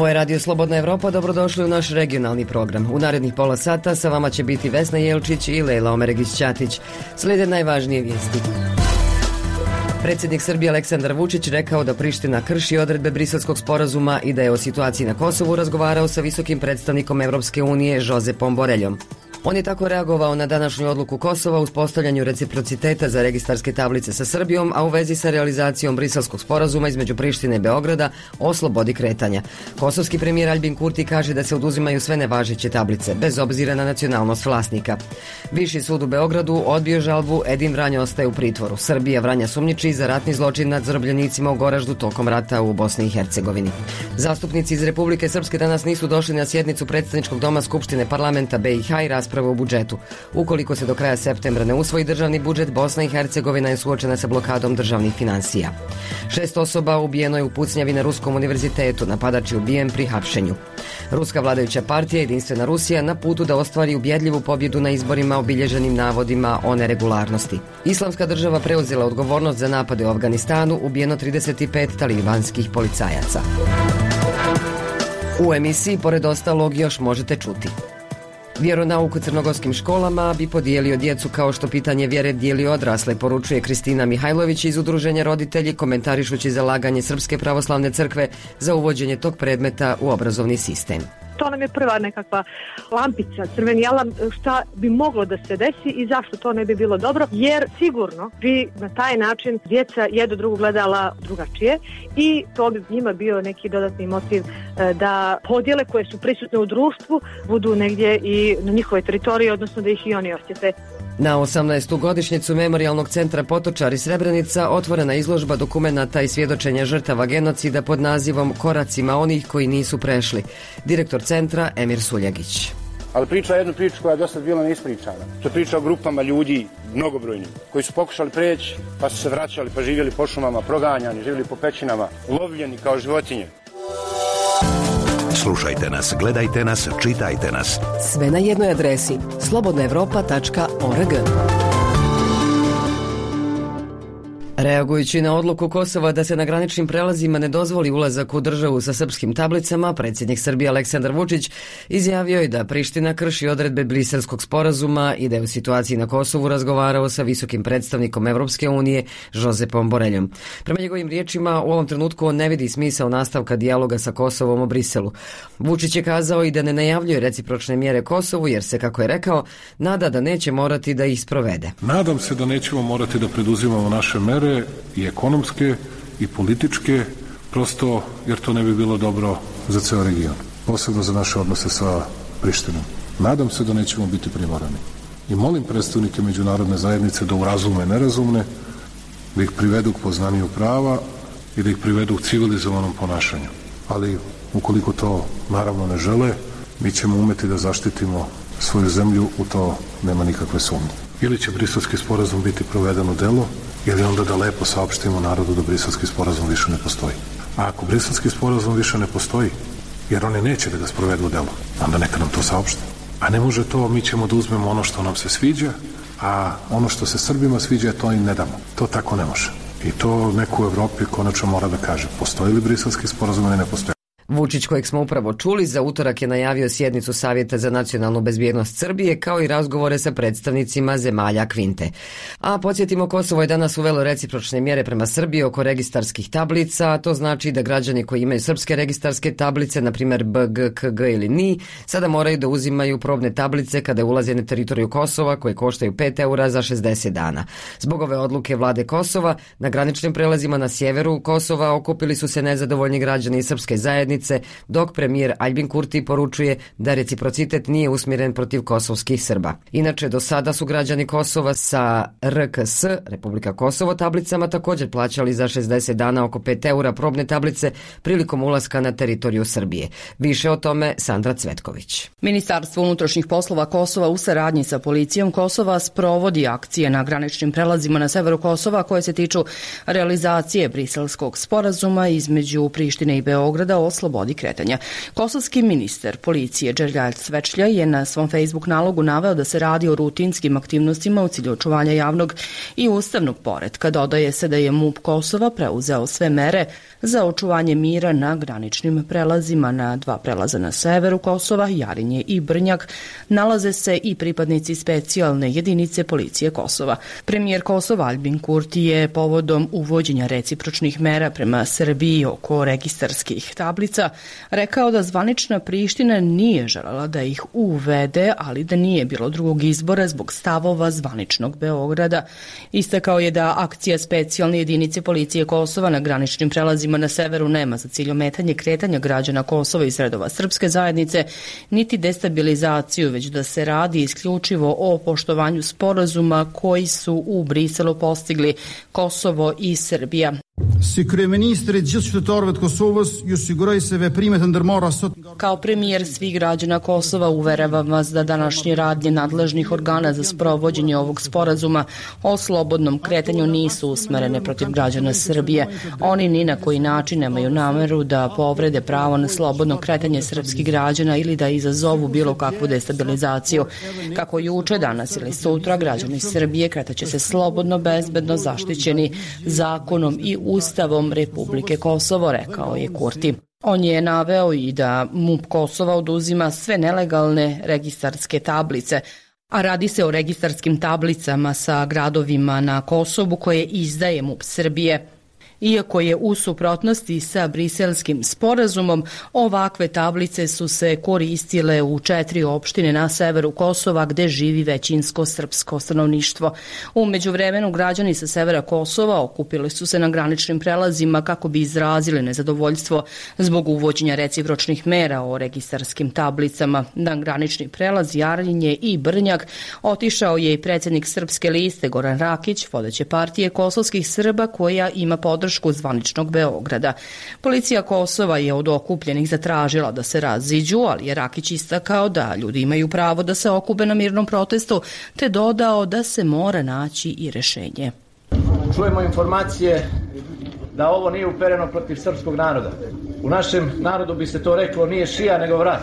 Ovo je Radio Slobodna Evropa, dobrodošli u naš regionalni program. U narednih pola sata sa vama će biti Vesna Jelčić i Lejla Omeregić-Ćatić. Slijede najvažnije vijesti. Predsjednik Srbije Aleksandar Vučić rekao da Priština krši odredbe Briselskog sporazuma i da je o situaciji na Kosovu razgovarao sa visokim predstavnikom Evropske unije Josepom Boreljom. On je tako reagovao na današnju odluku Kosova u uspostavljanju reciprociteta za registarske tablice sa Srbijom, a u vezi sa realizacijom Briselskog sporazuma između Prištine i Beograda o slobodi kretanja. Kosovski premijer Aljbin Kurti kaže da se oduzimaju sve nevažeće tablice, bez obzira na nacionalnost vlasnika. Viši sud u Beogradu odbio žalbu, Edin Vranja ostaje u pritvoru. Srbija Vranja sumnjiči za ratni zločin nad zarobljenicima u Goraždu tokom rata u Bosni i Hercegovini. Zastupnici iz Republike Srpske danas nisu došli na sjednicu predstavničkog doma Skupštine parlamenta BiH i rasprave u budžetu. Ukoliko se do kraja septembra ne usvoji državni budžet, Bosna i Hercegovina je suočena sa blokadom državnih finansija. 6 osoba ubijeno je u pucnjavi na Ruskom univerzitetu, napadač je ubijen pri hapšenju. Ruska vladajuća partija Jedinstvena Rusija na putu da ostvari ubjedljivu pobjedu na izborima obilježenim navodima o neregularnosti. Islamska država preuzela odgovornost za napade u Afganistanu, ubijeno 35 talibanskih policajaca. U emisiji, pored ostalog, još možete čuti: vjeronauk u crnogorskim školama bi podijelio djecu kao što pitanje vjere dijeli odrasle, poručuje Kristina Mihajlović iz Udruženja Roditelji, komentarišući zalaganje Srpske pravoslavne crkve za uvođenje tog predmeta u obrazovni sistem. To nam je prva nekakva lampica, crveni alarm, šta bi moglo da se desi i zašto to ne bi bilo dobro, jer sigurno bi na taj način djeca jedno drugo gledala drugačije i to bi njima bio neki dodatni motiv da podjele koje su prisutne u društvu budu negdje i na njihovoj teritoriji, odnosno da ih i oni osjete. Na 18. godišnjicu Memorijalnog centra Potočari Srebrenica otvorena izložba dokumenata i svjedočenja žrtava genocida pod nazivom Koracima onih koji nisu prešli. Direktor centra Emir Suljagić. Ali priča jednu priču koja je dosta bila neispričana. To je priča o grupama ljudi, mnogobrojnim, koji su pokušali preći, pa su se vraćali, pa živjeli po šumama, proganjani, živjeli po pećinama, lovljeni kao životinje. Slušajte nas, gledajte nas, čitajte nas. Sve na jednoj adresi: slobodnaevropa.org. Reagujući na odluku Kosova da se na graničnim prelazima ne dozvoli ulazak u državu sa srpskim tablicama, predsjednik Srbije Aleksandar Vučić izjavio je da Priština krši odredbe Briselskog sporazuma i da je u situaciji na Kosovu razgovarao sa visokim predstavnikom Evropske unije Josepom Boreljom. Prema njegovim riječima, u ovom trenutku on ne vidi smisao nastavka dijaloga sa Kosovom o Briselu. Vučić je kazao i da ne najavljuje recipročne mjere Kosovu jer se, kako je rekao, nada da neće morati da ih sprovede. Nadam se da nećemo morati da preduzimamo naše mere i ekonomske i političke, prosto jer to ne bi bilo dobro za ceo region, posebno za naše odnose sa Prištinom. Nadam se da nećemo biti primorani. I molim predstavnike međunarodne zajednice da urazume nerazumne, da ih privedu k poznanju prava i da ih privedu k civilizovanom ponašanju. Ali ukoliko to naravno ne žele, mi ćemo umeti da zaštitimo svoju zemlju, u to nema nikakve sumnje. Ili će Briselski sporazum biti proveden u delo, ili onda da lepo saopštimo narodu da Briselski sporazum više ne postoji. A ako Briselski sporazum više ne postoji, jer oni neće da ga sprovedu u delo, onda neka nam to saopšte. A ne može to, mi ćemo da uzmemo ono što nam se sviđa, a ono što se Srbima sviđa, to im ne damo. To tako ne može. I to neko u Evropi konačno mora da kaže, postoji li Briselski sporazum ili ne postoji. Vučić, kojeg smo upravo čuli, za utorak je najavio sjednicu Savjeta za nacionalnu bezbjednost Srbije, kao i razgovore sa predstavnicima zemalja Kvinte. A podsjetimo, Kosovo je danas uvelo recipročne mjere prema Srbiji oko registarskih tablica, a to znači da građani koji imaju srpske registarske tablice, na primjer BG, KG ili NI, sada moraju da uzimaju probne tablice kada ulaze na teritoriju Kosova, koje koštaju 5 eura za 60 dana. Zbog ove odluke vlade Kosova, na graničnim prelazima na sjeveru Kosova okupili su se nezadovoljni građani iz srpske zajednice, dok premijer Aljbin Kurti poručuje da reciprocitet nije usmjeren protiv kosovskih Srba. Inače, do sada su građani Kosova sa RKS, Republika Kosovo, tablicama također plaćali za 60 dana oko 5 eura probne tablice prilikom ulaska na teritoriju Srbije. Više o tome Sandra Cvetković. Ministarstvo unutrašnjih poslova Kosova u saradnji sa policijom Kosova sprovodi akcije na graničnim prelazima na severu Kosova koje se tiču realizacije Briselskog sporazuma između Prištine i Beograda o slobodi kretanja. Kosovski ministar policije Đerđal Svečlja je na svom Facebook nalogu naveo da se radi o rutinskim aktivnostima u cilju očuvanja javnog i ustavnog poretka. Dodaje se da je MUP Kosova preuzeo sve mere za očuvanje mira na graničnim prelazima. Na 2 prelaza na severu Kosova, Jarinje i Brnjak, nalaze se i pripadnici specijalne jedinice policije Kosova. Premijer Kosova Albin Kurti je povodom uvođenja recipročnih mera prema Srbiji oko registarskih tablica rekao da zvanična Priština nije želela da ih uvede, ali da nije bilo drugog izbora zbog stavova zvaničnog Beograda. Istakao je da akcija specijalne jedinice policije Kosova na graničnim prelazima na severu nema za cilj ometanje kretanja građana Kosova iz redova srpske zajednice, niti destabilizaciju, već da se radi isključivo o poštovanju sporazuma koji su u Briselu postigli Kosovo i Srbija. Kao premijer svih građana Kosova uveravam vas da današnje radnje nadležnih organa za sprovođenje ovog sporazuma o slobodnom kretanju nisu usmerene protiv građana Srbije. Oni ni na koji način nemaju nameru da povrede pravo na slobodno kretanje srpskih građana ili da izazovu bilo kakvu destabilizaciju. Kako juče, danas ili sutra, građani Srbije kretaće se slobodno, bezbedno, zaštićeni zakonom i Ustavom Republike Kosovo, rekao je Kurti. On je naveo i da MUP Kosova oduzima sve nelegalne registarske tablice, a radi se o registarskim tablicama sa gradovima na Kosovu koje izdaje MUP Srbije. Iako je u suprotnosti sa briselskim sporazumom, ovakve tablice su se koristile u 4 opštine na severu Kosova gde živi većinsko srpsko stanovništvo. U međuvremenu građani sa severa Kosova okupili su se na graničnim prelazima kako bi izrazili nezadovoljstvo zbog uvođenja recipročnih mera o registarskim tablicama. Na granični prelaz Jarinje i Brnjak otišao je i predsjednik Srpske liste Goran Rakić, vodeće partije kosovskih Srba koja ima podršku zvaničnog Beograda. Policija Kosova je od okupljenih zatražila da se raziđu, ali je Rakić istakao da ljudi imaju pravo da se okupe na mirnom protestu, te dodao da se mora naći i rešenje. Čujemo informacije da ovo nije upereno protiv srpskog naroda. U našem narodu bi se to reklo nije šija nego vrat.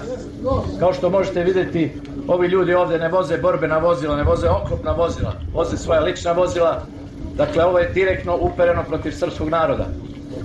Kao što možete vidjeti, ovi ljudi ovdje ne voze borbena vozila, ne voze oklopna vozila, voze svoja lična vozila. Dakle, ovo je direktno upereno protiv srpskog naroda.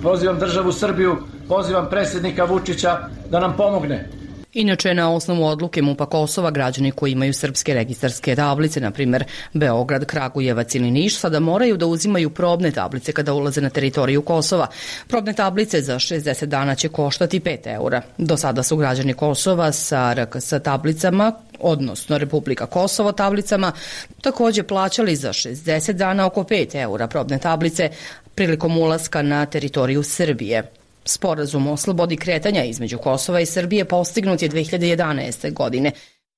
Pozivam državu Srbiju, pozivam predsjednika Vučića da nam pomogne. Inače, na osnovu odluke MUP-a Kosova, građani koji imaju srpske registarske tablice, na primjer Beograd, Kragujevac ili Niš, sada moraju da uzimaju probne tablice kada ulaze na teritoriju Kosova. Probne tablice za 60 dana će koštati 5 eura. Do sada su građani Kosova sa RKS tablicama, odnosno Republika Kosovo tablicama, također plaćali za 60 dana oko 5 eura probne tablice prilikom ulaska na teritoriju Srbije. Sporazum o slobodi kretanja između Kosova i Srbije postignut je 2011. godine.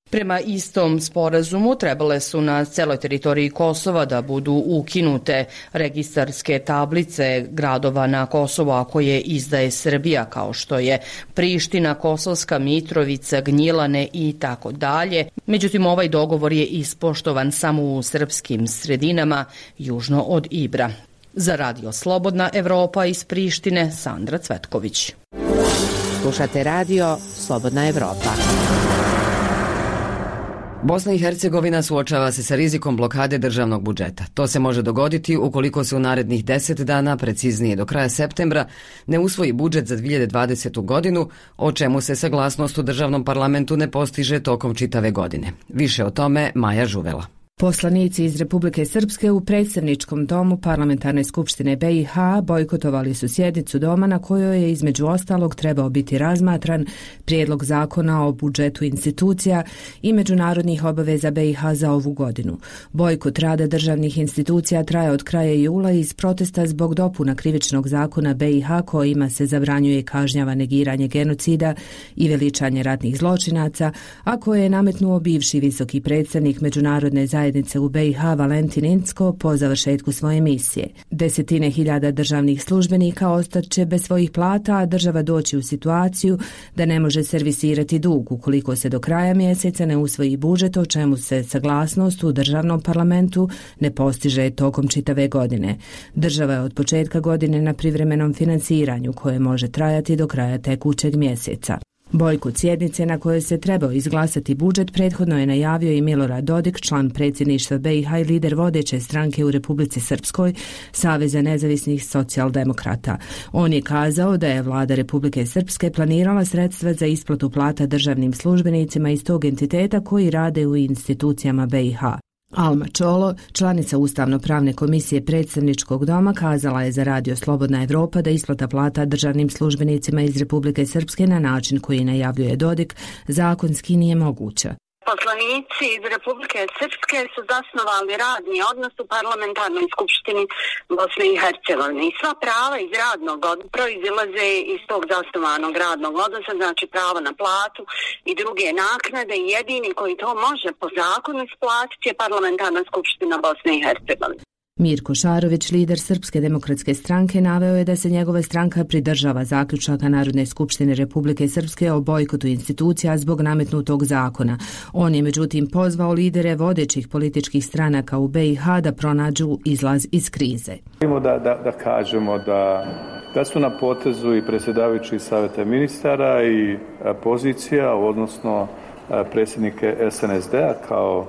Prema istom sporazumu trebale su na celoj teritoriji Kosova da budu ukinute registarske tablice gradova na Kosovu, a koje izdaje Srbija, kao što je Priština, Kosovska Mitrovica, Gnjilane i tako dalje. Međutim, ovaj dogovor je ispoštovan samo u srpskim sredinama južno od Ibra. Za Radio Slobodna Evropa iz Prištine, Sandra Cvetković. Slušate radio Slobodna Evropa. Bosna i Hercegovina suočava se sa rizikom blokade državnog budžeta. To se može dogoditi ukoliko se u narednih 10 dana, preciznije do kraja septembra, ne usvoji budžet za 2020. godinu, o čemu se saglasnost u državnom parlamentu ne postiže tokom čitave godine. Više o tome Maja Žuvela. Poslanici iz Republike Srpske u predstavničkom domu Parlamentarne skupštine BiH bojkotovali su sjednicu doma na kojoj je između ostalog trebao biti razmatran prijedlog zakona o budžetu institucija i međunarodnih obaveza BiH za ovu godinu. Bojkot rada državnih institucija traje od kraja jula iz protesta zbog dopuna krivičnog zakona BiH kojima se zabranjuje i kažnjava negiranje genocida i veličanje ratnih zločinaca, a koje je nametnuo bivši visoki predstavnik međunarodne zajednice zajednice u BiH Valentin Incko po završetku svoje misije. Desetine hiljada državnih službenika ostaće bez svojih plata, a država doći u situaciju da ne može servisirati dug ukoliko se do kraja mjeseca ne usvoji budžet, o čemu se saglasnost u državnom parlamentu ne postiže tokom čitave godine. Država je od početka godine na privremenom financiranju koje može trajati do kraja tekućeg mjeseca. Bojkot sjednice na kojoj se trebao izglasati budžet prethodno je najavio i Milorad Dodik, član predsjedništva BiH i lider vodeće stranke u Republici Srpskoj, Saveza nezavisnih socijaldemokrata. On je kazao da je vlada Republike Srpske planirala sredstva za isplatu plata državnim službenicima iz tog entiteta koji rade u institucijama BiH. Alma Čolo, članica Ustavno-pravne komisije predstavničkog doma, kazala je za Radio Slobodna Evropa da isplata plata državnim službenicima iz Republike Srpske na način koji najavljuje Dodik zakonski nije moguća. Poslanici iz Republike Srpske su zasnovali radni odnos u parlamentarnoj skupštini Bosne i Hercegovine i sva prava iz radnog odnosa proizilaze iz tog zasnovanog radnog odnosa, znači pravo na platu i druge naknade, i jedini koji to može po zakonu isplatiti je parlamentarna skupština Bosne i Hercegovine. Mirko Šarović, lider Srpske demokratske stranke, naveo je da se njegova stranka pridržava zaključaka Narodne skupštine Republike Srpske o bojkotu institucija zbog nametnutog zakona. On je međutim pozvao lidere vodećih političkih stranaka u BiH da pronađu izlaz iz krize. Da kažemo da su na potezu i predsjedavajući savjeta ministara i pozicija, odnosno predsjednike SNSD-a kao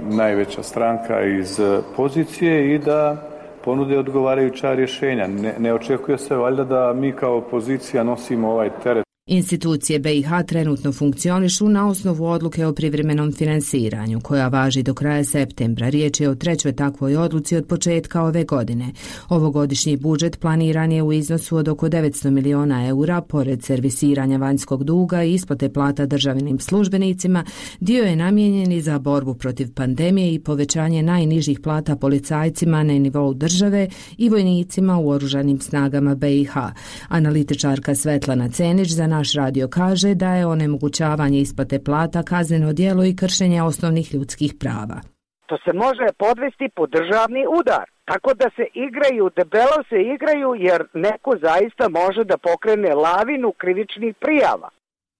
najveća stranka iz pozicije i da ponude odgovarajuća rješenja. Ne očekuje se valjda da mi kao opozicija nosimo ovaj teret. Institucije BiH trenutno funkcionišu na osnovu odluke o privremenom finansiranju, koja važi do kraja septembra. Riječ je o trećoj takvoj odluci od početka ove godine. Ovogodišnji budžet planiran je u iznosu od oko 900 miliona eura, pored servisiranja vanjskog duga i isplate plata državnim službenicima. Dio je namijenjen i za borbu protiv pandemije i povećanje najnižih plata policajcima na nivou države i vojnicima u oružanim snagama BiH. Analitičarka Svetlana Cenić za naš radio kaže da je onemogućavanje isplate plata kazneno djelo i kršenje osnovnih ljudskih prava. To se može podvesti pod državni udar. Tako da se igraju, debelo se igraju, jer neko zaista može da pokrene lavinu krivičnih prijava.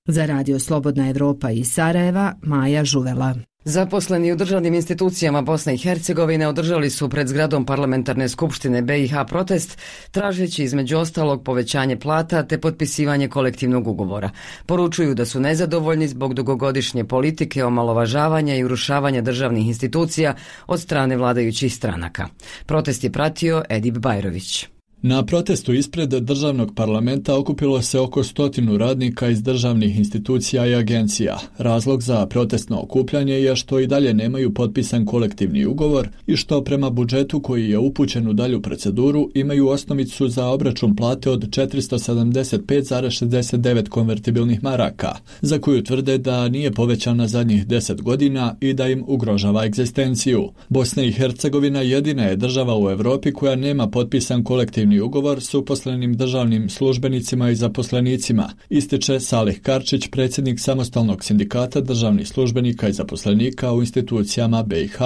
Za Radio Slobodna Evropa iz Sarajeva, Maja Žuvela. Zaposleni u državnim institucijama Bosne i Hercegovine održali su pred zgradom parlamentarne skupštine BiH protest, tražeći između ostalog povećanje plata te potpisivanje kolektivnog ugovora. Poručuju da su nezadovoljni zbog dugogodišnje politike omalovažavanja i urušavanja državnih institucija od strane vladajućih stranaka. Protest je pratio Edip Bajrović. Na protestu ispred državnog parlamenta okupilo se oko 100 radnika iz državnih institucija i agencija. Razlog za protestno okupljanje je što i dalje nemaju potpisan kolektivni ugovor i što prema budžetu koji je upućen u dalju proceduru imaju osnovicu za obračun plate od 475,69 konvertibilnih maraka, za koju tvrde da nije povećana zadnjih 10 godina i da im ugrožava egzistenciju. Bosna i Hercegovina jedina je država u Europi koja nema potpisan kolektivni ugovor s uposlenim državnim službenicima i zaposlenicima, ističe Salih Karčić, predsjednik samostalnog sindikata državnih službenika i zaposlenika u institucijama BiH.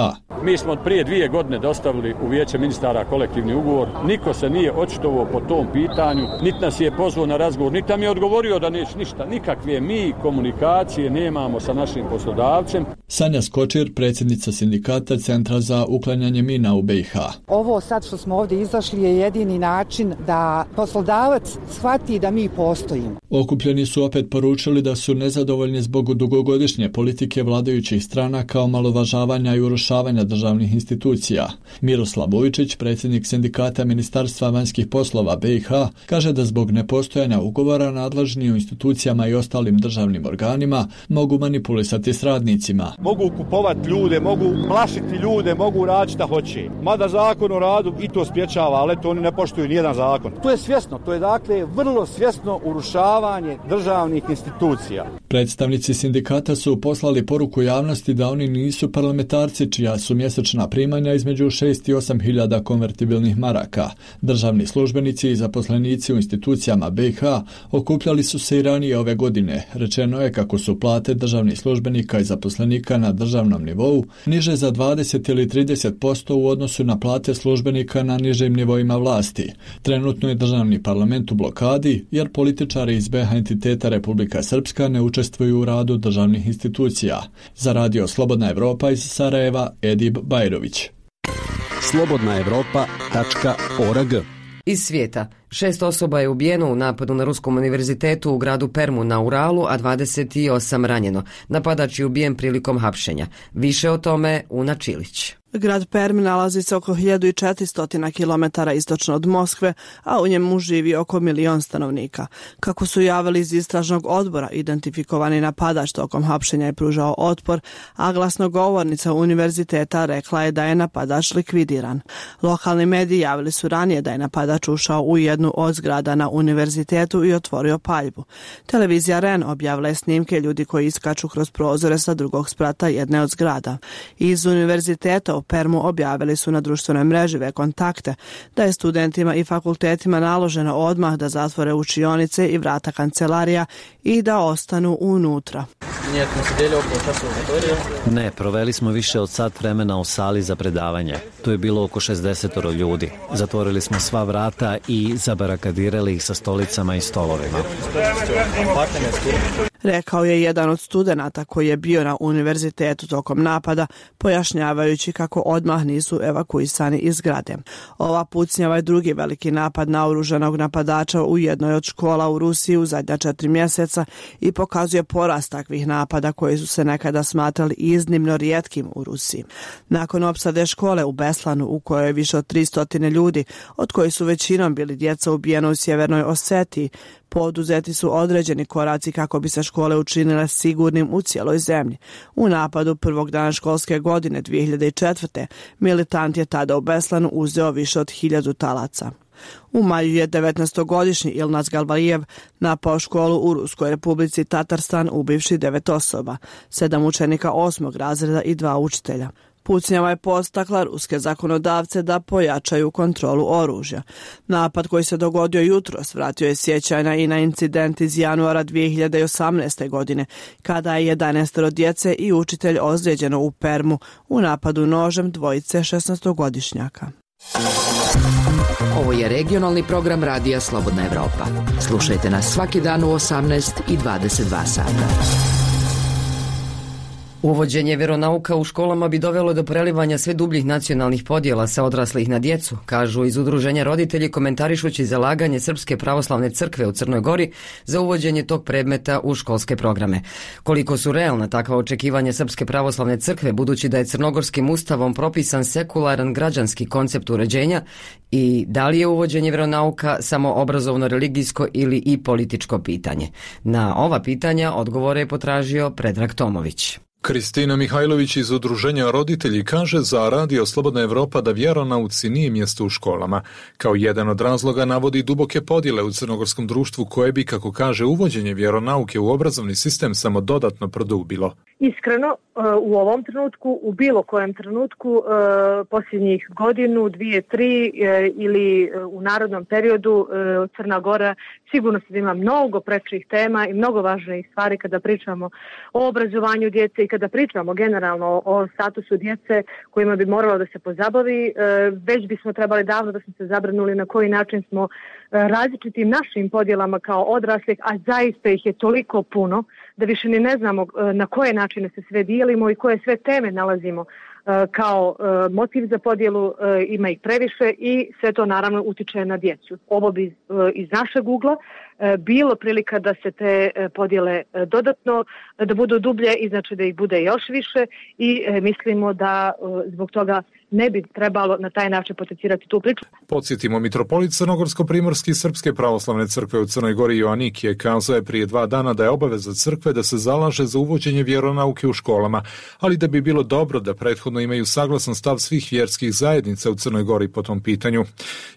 Mi smo prije 2 godine dostavili u Vijeće ministara kolektivni ugovor. Niko se nije očitovao po tom pitanju, niti nas je pozvao na razgovor, niti nam je odgovorio da neće ništa. Nikakve mi komunikacije nemamo sa našim poslodavcem. Sanja Skočir, predsjednica sindikata Centra za uklanjanje mina u BiH. Ovo sad što smo ovdje izašli je jedini način da poslodavac shvati da mi postojimo. Okupljeni su opet poručili da su nezadovoljni zbog dugogodišnje politike vladajućih stranaka, omalovažavanja i urušavanja državnih institucija. Miroslav Vujčić, predsjednik sindikata Ministarstva vanjskih poslova BiH, kaže da zbog nepostojanja ugovora nadležni u institucijama i ostalim državnim organima mogu manipulisati s radnicima. Mogu kupovati ljude, mogu plašiti ljude, mogu raditi šta hoće. Mada zakon o radu i to spriječava, ali to oni ne poštuju nijedan zakon. To je svjesno, to je dakle vrlo svjesno urušavanje urušavanje državnih institucija. Predstavnici sindikata su poslali poruku javnosti da oni nisu parlamentarci čija su mjesečna primanja između 6 i 8 hiljada konvertibilnih maraka. Državni službenici i zaposlenici u institucijama BiH okupljali su se i ranije ove godine. Rečeno je kako su plate državnih službenika i zaposlenika na državnom nivou niže za 20 ili 30% u odnosu na plate službenika na nižim nivoima vlasti. Trenutno je državni parlament u blokadi jer političari iz BiH entiteta Republika Srpska ne učestvuju u radu državnih institucija. Za radio Slobodna Evropa iz Sarajeva, Edib Bajrović. slobodnaevropa.org. Iz svijeta. 6 osoba je ubijeno u napadu na Ruskom univerzitetu u gradu Permu na Uralu, a 28 ranjeno. Napadač je ubijen prilikom hapšenja. Više o tome Una Čilić. Grad Perm nalazi se oko 1400 km istočno od Moskve, a u njemu živi oko 1 milion stanovnika. Kako su javili iz istražnog odbora, identifikovani napadač tokom hapšenja je pružao otpor, a glasnogovornica univerziteta rekla je da je napadač likvidiran. Lokalni mediji javili su ranije da je napadač ušao u jednu od zgrada na univerzitetu i otvorio paljbu. Televizija REN objavila je snimke ljudi koji iskaču kroz prozore sa drugog sprata jedne od zgrada. Iz univerziteta u Permu objavili su na društvenoj mreži kontakte da je studentima i fakultetima naloženo odmah da zatvore učionice i vrata kancelarija i da ostanu unutra. Ne, proveli smo više od sat vremena u sali za predavanje. Tu je bilo oko 60 ljudi. Zatvorili smo sva vrata i zabarakadirali ih sa stolicama i stolovima. Rekao je jedan od studenata koji je bio na univerzitetu tokom napada, pojašnjavajući kako odmah nisu evakuisani iz zgrade. Ova pucnjava je drugi veliki napad naoružanog napadača u jednoj od škola u Rusiji u zadnja 4 mjeseca i pokazuje porast takvih napada koji su se nekada smatrali iznimno rijetkim u Rusiji. Nakon opsade škole u Beslanu, u kojoj je više od 300 ljudi, od kojih su većinom bili djeca ubijena u Sjevernoj Osetiji, poduzeti su određeni koraci kako bi se škole učinile sigurnim u cijeloj zemlji. U napadu prvog dana školske godine 2004. militant je tada u Beslanu uzeo više od 1000 talaca. U maju je 19-godišnji Ilnaz Galvajev napao školu u Ruskoj republici Tatarstan ubivši 9 osoba, 7 učenika 8. razreda i 2 učitelja. Pucnjava je podstakla ruske zakonodavce da pojačaju kontrolu oružja. Napad koji se dogodio jutros vratio je sjećanja i na incident iz januara 2018. godine, kada je 11 djece i učitelj ozlijeđeno u Permu u napadu nožem dvojice 16-godišnjaka. Ovo je regionalni program radija Slobodna Evropa. Slušajte nas svaki dan u 18 i 22 sata. Uvođenje vjeronauka u školama bi dovelo do prelivanja sve dubljih nacionalnih podjela sa odraslih na djecu, kažu iz udruženja roditelji komentarišući zalaganje Srpske pravoslavne crkve u Crnoj Gori za uvođenje tog predmeta u školske programe. Koliko su realna takva očekivanja Srpske pravoslavne crkve, budući da je crnogorskim ustavom propisan sekularan građanski koncept uređenja, i da li je uvođenje vjeronauka samo obrazovno, religijsko ili i političko pitanje? Na ova pitanja odgovore je potražio Predrag Tomović. Kristina Mihajlović iz udruženja roditelji kaže za radio Slobodna Evropa da vjeronauci nije mjesto u školama. Kao jedan od razloga navodi duboke podjele u crnogorskom društvu koje bi, kako kaže, uvođenje vjeronauke u obrazovni sistem samo dodatno produbilo. Iskreno, u ovom trenutku, u bilo kojem trenutku, posljednjih godinu, 2, 3 ili u narodnom periodu Crna Gora sigurno se ima mnogo prečih tema i mnogo važnijih stvari kada pričamo o obrazovanju djece i kada pričamo generalno o statusu djece kojima bi moralo da se pozabavi. Već bismo trebali davno da smo se zabrinuli na koji način smo različitim našim podjelama kao odraslih, a zaista ih je toliko puno da više ni ne znamo na koje načine se sve dijelimo i koje sve teme nalazimo kao motiv za podjelu, ima ih previše i sve to naravno utiče na djecu. Ovo bi iz našeg ugla bilo prilika da se te podjele dodatno, da budu dublje i znači da ih bude još više i mislimo da zbog toga ne bi trebalo na taj način potencirati tu priču. Podsjetimo, mitropolit Crnogorsko-primorski Srpske pravoslavne crkve u Crnoj Gori Joanik je kazao je prije 2 dana da je obaveza crkve da se zalaže za uvođenje vjeronauke u školama, ali da bi bilo dobro da prethodno neophodno imaju saglasan stav svih vjerskih zajednica u Crnoj Gori po tom pitanju.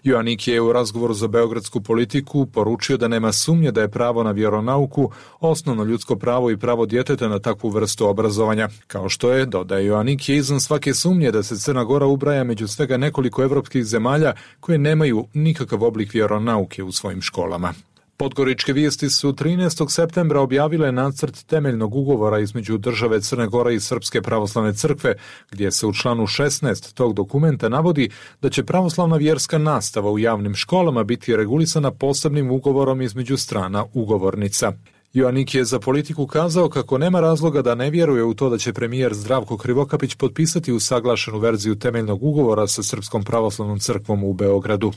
Joanik je u razgovoru za beogradsku politiku poručio da nema sumnje da je pravo na vjeronauku osnovno ljudsko pravo i pravo djeteta na takvu vrstu obrazovanja. Kao što je, dodaje Joanik, je izvan svake sumnje da se Crna Gora ubraja među svega nekoliko evropskih zemalja koje nemaju nikakav oblik vjeronauke u svojim školama. Podgoričke vijesti su 13. septembra objavile nacrt temeljnog ugovora između države Crne Gore i Srpske pravoslavne crkve, gdje se u članu 16 tog dokumenta navodi da će pravoslavna vjerska nastava u javnim školama biti regulisana posebnim ugovorom između strana ugovornica. Joanik je za politiku kazao kako nema razloga da ne vjeruje u to da će premijer Zdravko Krivokapić potpisati usaglašenu verziju temeljnog ugovora sa Srpskom pravoslavnom crkvom u Beogradu.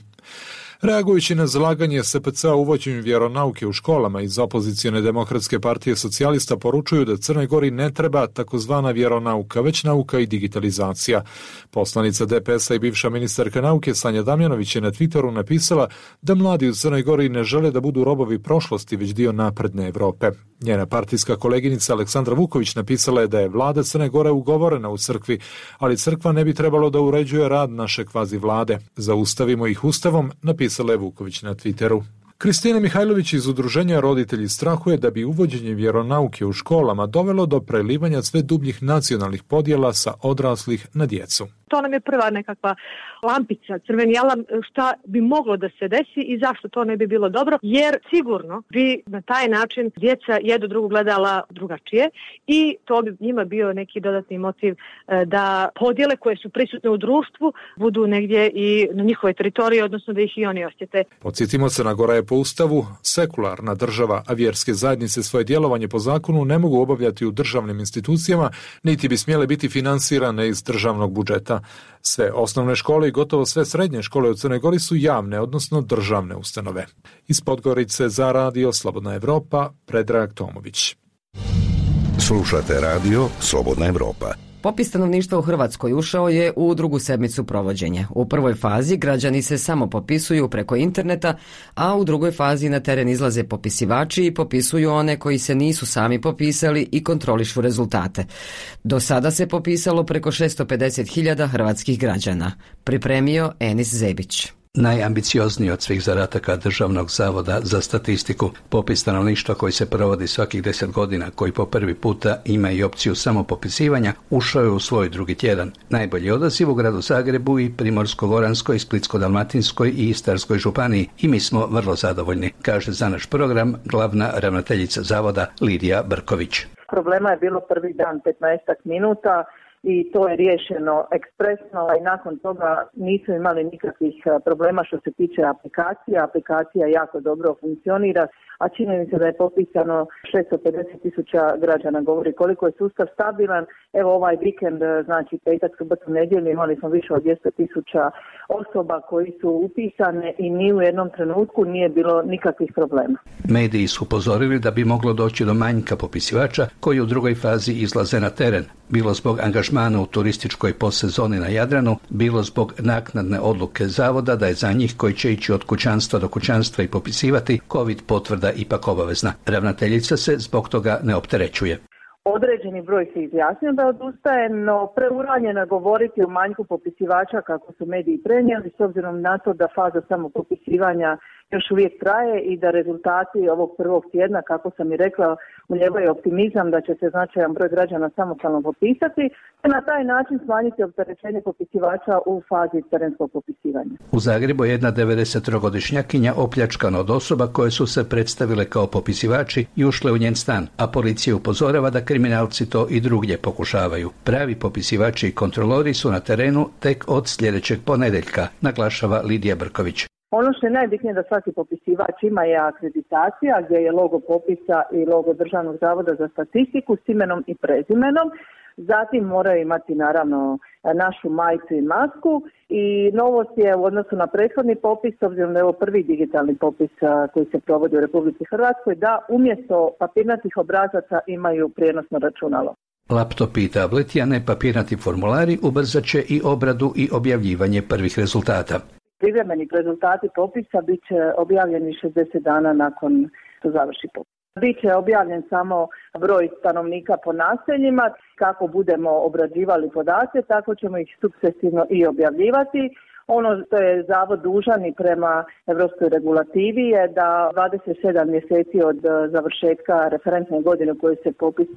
Reagujući na zalaganje SPC-a u uvođenju vjeronauke u školama, iz opozicione demokratske partije socijalista poručuju da Crnoj Gori ne treba takozvana vjeronauka, već nauka i digitalizacija. Poslanica DPS-a i bivša ministarka nauke Sanja Damjanović je na Twitteru napisala da mladi u Crnoj Gori ne žele da budu robovi prošlosti, već dio napredne Evrope. Njena partijska koleginica Aleksandra Vuković napisala je da je vlada Crne Gore ugovorena u crkvi, ali crkva ne bi trebalo da uređuje rad naše kvazi vlade. Zaustavimo ih ustavom, napisala je Vuković na Twitteru. Kristina Mihajlović iz udruženja Roditelji strahuje da bi uvođenje vjeronauke u školama dovelo do prelivanja sve dubljih nacionalnih podjela sa odraslih na djecu. To nam je prva nekakva lampica, crveni alarm, šta bi moglo da se desi i zašto to ne bi bilo dobro, jer sigurno bi na taj način djeca jedno drugo gledala drugačije i to bi njima bio neki dodatni motiv da podjele koje su prisutne u društvu budu negdje i na njihovoj teritoriji, odnosno da ih i oni osjete. Podsjetimo, Crna Gora je po ustavu sekularna država, a vjerske zajednice svoje djelovanje po zakonu ne mogu obavljati u državnim institucijama, niti bi smjele biti finansirane iz državnog budžeta. Sve osnovne škole i gotovo sve srednje škole u Crnoj Gori su javne, odnosno državne ustanove. Iz Podgorice za radio Slobodna Evropa, Predrag Tomović. Slušate radio Slobodna Evropa. Popis stanovništva u Hrvatskoj ušao je u drugu sedmicu provođenja. U prvoj fazi građani se samo popisuju preko interneta, a u drugoj fazi na teren izlaze popisivači i popisuju one koji se nisu sami popisali i kontrolišu rezultate. Do sada se popisalo preko 650.000 hrvatskih građana. Pripremio Enis Zebić. Najambiciozniji od svih zadataka Državnog zavoda za statistiku, popis stanovništva koji se provodi svakih 10 godina, koji po prvi puta ima i opciju samopopisivanja, ušao je u svoj drugi tjedan. Najbolji odaziv u gradu Zagrebu i Primorsko-goranskoj, Splitsko-dalmatinskoj i Istarskoj županiji i mi smo vrlo zadovoljni, kaže za naš program glavna ravnateljica zavoda Lidija Brković. Problema je bilo prvi dan 15 minuta i to je riješeno ekspresno i nakon toga nisu imali nikakvih problema što se tiče aplikacija. Aplikacija jako dobro funkcionira, a čini mi se da je popisano 650.000 građana, govori koliko je sustav stabilan. Evo ovaj vikend, znači petak, subotu, nedjelju, imali smo više od 200.000 osoba koji su upisane i ni u jednom trenutku nije bilo nikakvih problema. Mediji su upozorili da bi moglo doći do manjka popisivača koji u drugoj fazi izlaze na teren, bilo zbog angažmana u turističkoj postsezoni na Jadranu, bilo zbog naknadne odluke zavoda da je za njih koji će ići od kućanstva do kućanstva i popisivati COVID potvrda ipak obavezna. Ravnateljica se zbog toga ne opterećuje. Određeni broj se izjasnio da odustaje, no preuranjeno je govoriti o manjku popisivača kako su mediji prenijeli, s obzirom na to da faza samopopisivanja još uvijek traje i da rezultati ovog prvog tjedna, kako sam i rekla, ulijevaju optimizam da će se značajan broj građana samostalno popisati te na taj način smanjiti opterećenje popisivača u fazi terenskog popisivanja. U Zagrebu je jedna 93-godišnjakinja opljačkana od osoba koje su se predstavile kao popisivači i ušle u njen stan, a policija upozorava da kriminalci to i drugdje pokušavaju. Pravi popisivači i kontrolori su na terenu tek od sljedećeg ponedjeljka, naglašava Lidija Brković. Ono što je najbitnije da svaki popisivač ima je akreditacija gdje je logo popisa i logo Državnog zavoda za statistiku s imenom i prezimenom. Zatim moraju imati naravno našu majicu i masku i novost je u odnosu na prethodni popis, s obzirom da je ovo prvi digitalni popis koji se provodi u Republici Hrvatskoj, da umjesto papirnatih obrazaca imaju prijenosno računalo. Laptopi i tableti, a ne papirnati formulari, ubrzat će i obradu i objavljivanje prvih rezultata. Privremeni rezultati popisa bit će objavljeni 60 dana nakon što završi popis. Biće objavljen samo broj stanovnika po naseljima. Kako budemo obrađivali podatke, tako ćemo ih sukcesivno i objavljivati. Ono što je Zavod dužan i prema evropskoj regulativi je da 27 mjeseci od završetka referentne godine u kojoj se popis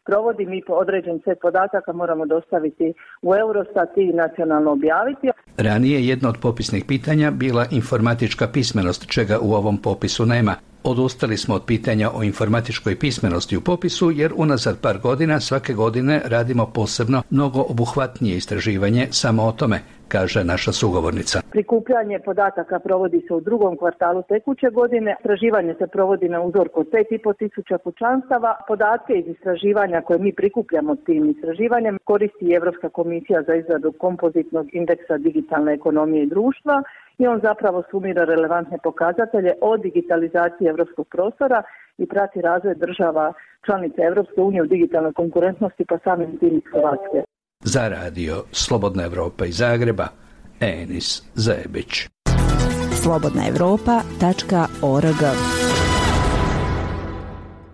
provodi, mi određen set podataka moramo dostaviti u Eurostat i nacionalno objaviti. Ranije jedno od popisnih pitanja bila informatička pismenost, čega u ovom popisu nema. Odustali smo od pitanja o informatičkoj pismenosti u popisu jer unazad par godina svake godine radimo posebno mnogo obuhvatnije istraživanje samo o tome, kaže naša sugovornica. Prikupljanje podataka provodi se u drugom kvartalu tekuće godine, istraživanje se provodi na uzorku od 5.500 kućanstava. Podatke iz istraživanja koje mi prikupljamo tim istraživanjem koristi Europska komisija za izradu kompozitnog indeksa digitalne ekonomije i društva i on zapravo sumira relevantne pokazatelje o digitalizaciji europskog prostora i prati razvoj država članica Europske unije u digitalnoj konkurentnosti pa samim tim Hrvatske. Za radio Slobodna Evropa iz Zagreba, Enis Zajebić. slobodnaevropa.org.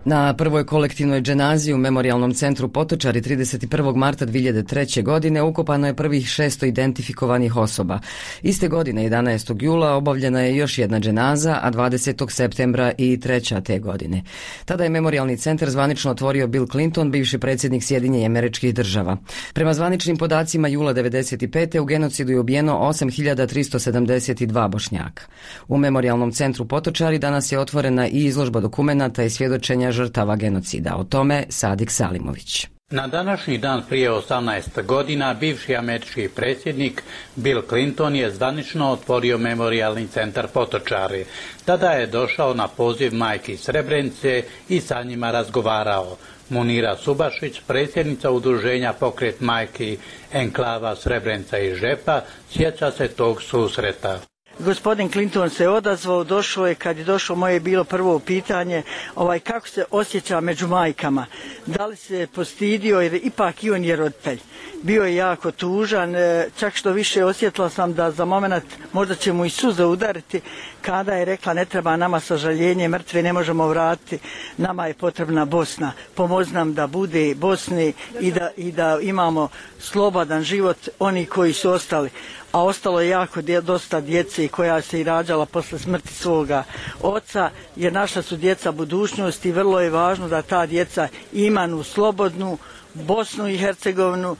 Na prvoj kolektivnoj dženazi u Memorijalnom centru Potočari 31. marta 2003. godine ukopano je prvih 600 identifikovanih osoba. Iste godine, 11. jula, obavljena je još jedna dženaza, a 20. septembra i treća te godine. Tada je Memorijalni centar zvanično otvorio Bill Clinton, bivši predsjednik Sjedinjenih Američkih Država. Prema zvaničnim podacima jula 1995. u genocidu je ubijeno 8.372 Bošnjaka. U Memorijalnom centru Potočari danas je otvorena i izložba dokumenata i svjedočenja žrtava genocida. O tome Sadik Salimović. Na današnji dan prije 18 godina bivši američki predsjednik Bill Clinton je zvanično otvorio Memorijalni centar Potočari. Tada je došao na poziv majki Srebrenice i sa njima razgovarao. Munira Subašić, predsjednica udruženja Pokret majki Enklava Srebrenica i Žepa, sjeća se tog susreta. Gospodin Clinton se odazvao, došao je, kad je došao moje je bilo prvo pitanje kako se osjeća među majkama. Da li se postidio jer ipak i on je roditelj. Bio je jako tužan, čak što više osjetila sam da za moment možda će mu i suze udariti kada je rekla ne treba nama sažaljenje, mrtve ne možemo vratiti, nama je potrebna Bosna. Pomozi nam da bude Bosni i da imamo slobodan život oni koji su ostali. A ostalo je jako dosta djece koja se i rađala posle smrti svoga oca, jer naša su djeca budućnost i vrlo je važno da ta djeca imaju slobodnu Bosnu i Hercegovinu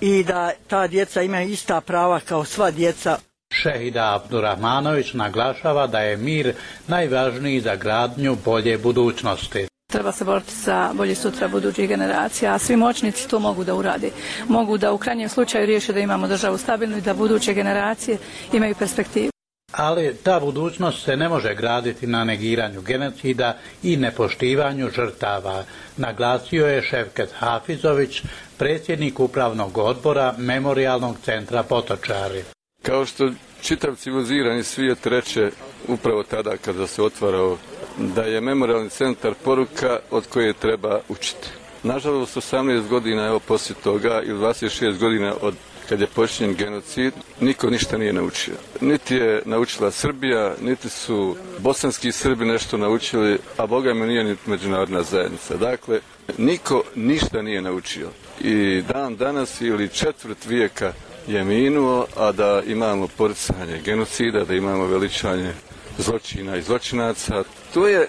i da ta djeca imaju ista prava kao sva djeca. Šehida Abdurahmanović naglašava da je mir najvažniji za gradnju bolje budućnosti. Treba se boriti za bolje sutra budućih generacija, a svi moćnici to mogu da urade. Mogu da u krajnjem slučaju riješe da imamo državu stabilnu i da buduće generacije imaju perspektivu. Ali ta budućnost se ne može graditi na negiranju genocida i nepoštivanju žrtava, naglasio je Ševket Hafizović, predsjednik upravnog odbora Memorijalnog centra Potočari. Kao što čitav civilizirani svijet reče upravo tada kada se otvarao da je Memorijalni centar poruka od koje treba učiti. Nažalost, 18 godina evo poslije toga ili 26 godina od kad je počinjen genocid, niko ništa nije naučio. Niti je naučila Srbija, niti su bosanski Srbi nešto naučili, a Boga mi nije ni međunarodna zajednica. Dakle, niko ništa nije naučio. I dan danas ili četvrt vijeka je minuo, a da imamo poricanje genocida, da imamo veličanje zločina i zločinaca. To je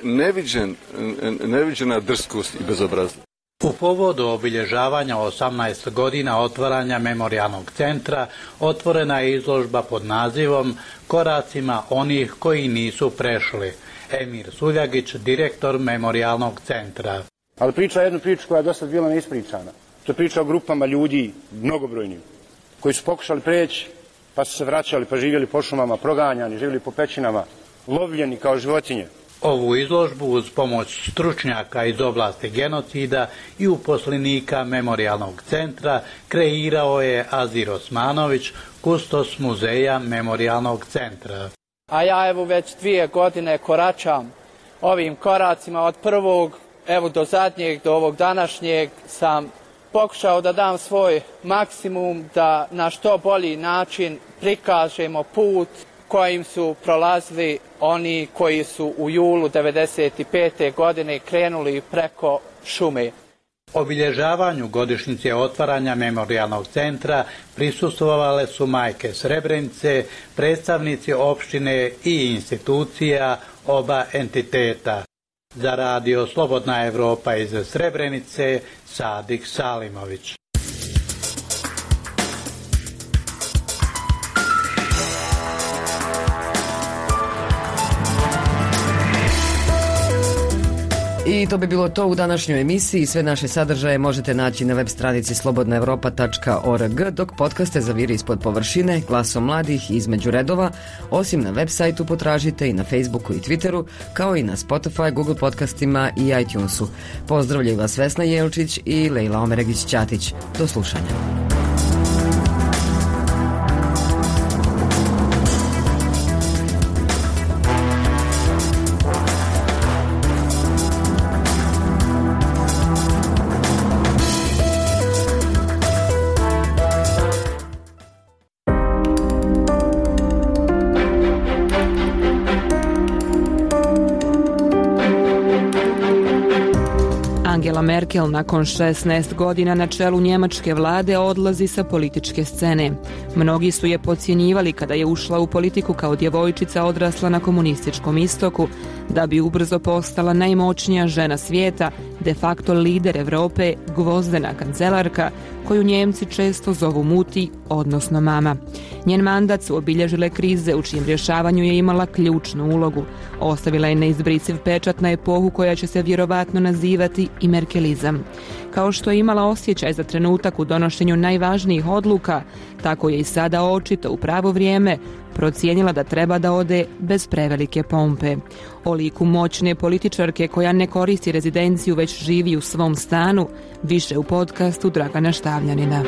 neviđena drskost i bezobraznost. U povodu obilježavanja 18 godina otvaranja Memorijalnog centra otvorena je izložba pod nazivom Koracima onih koji nisu prešli. Emir Suljagić, direktor Memorijalnog centra. Ali priča jednu priču koja je dosta bila neispričana. To je priča o grupama ljudi, mnogobrojnim, koji su pokušali preći, pa su se vraćali, pa živjeli po šumama, proganjani, živjeli po pećinama, lovljeni kao životinje. Ovu izložbu uz pomoć stručnjaka iz oblasti genocida i uposlenika Memorijalnog centra kreirao je Azir Osmanović, kustos muzeja Memorijalnog centra. A ja evo već 2 godine koračam ovim koracima od prvog do zadnjeg, do ovog današnjeg sam pokušao da dam svoj maksimum da na što bolji način prikažemo put kojim su prolazili oni koji su u julu 1995. godine krenuli preko šume. Obilježavanju godišnjice otvaranja memorijalnog centra prisustvovale su majke Srebrenice, predstavnici opštine i institucija oba entiteta. Za radio Slobodna Evropa iz Srebrenice, Sadik Salimović. I to bi bilo to u današnjoj emisiji. Sve naše sadržaje možete naći na web stranici slobodnaevropa.org, dok podcaste zaviri ispod površine, glasom mladih između redova, osim na web sajtu potražite i na Facebooku i Twitteru, kao i na Spotify, Google podcastima i iTunesu. Pozdravljaju vas Vesna Jelčić i Lejla Omeregić-Ćatić. Do slušanja. Angela Merkel nakon 16 godina na čelu njemačke vlade odlazi sa političke scene. Mnogi su je podcjenjivali kada je ušla u politiku kao djevojčica odrasla na komunističkom istoku, da bi ubrzo postala najmoćnija žena svijeta, de facto lider Europe, gvozdena kancelarka, koju Njemci često zovu muti, odnosno mama. Njen mandat su obilježile krize u čijem rješavanju je imala ključnu ulogu. Ostavila je neizbrisiv pečat na epohu koja će se vjerovatno nazivati i merkelizam. Kao što je imala osjećaj za trenutak u donošenju najvažnijih odluka, tako je i sada očito u pravo vrijeme procijenila da treba da ode bez prevelike pompe. O liku moćne političarke koja ne koristi rezidenciju već živi u svom stanu, više u podcastu Dragana Štavljanina.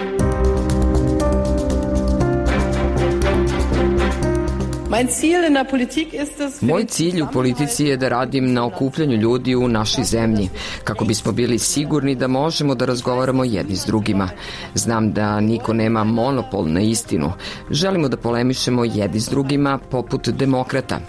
Moj cilj u politici je da radim na okupljanju ljudi u našoj zemlji, kako bismo bili sigurni da možemo da razgovaramo jedni s drugima. Znam da niko nema monopol na istinu. Želimo da polemišemo jedni s drugima poput demokrata.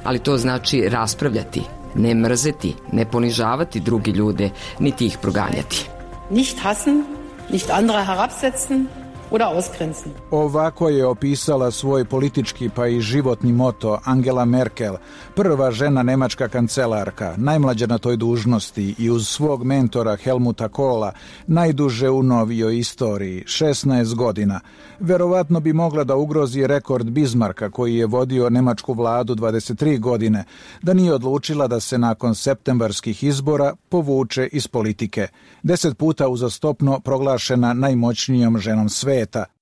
Ali to znači raspravljati, ne mrzeti, ne ponižavati drugi ljude, niti ih proganjati. Nicht hassen, nicht andere herabsetzen, oder ausgrenzen. Ovako je opisala svoj politički pa i životni moto Angela Merkel, prva žena nemačka kancelarka, najmlađa na toj dužnosti i uz svog mentora Helmuta Kohla, najduže u novijoj istoriji, 16 godina. Verovatno bi mogla da ugrozi rekord Bismarcka koji je vodio nemačku vladu 23 godine, da nije odlučila da se nakon septembarskih izbora povuče iz politike. 10 puta uzastopno proglašena najmoćnijom ženom sveta.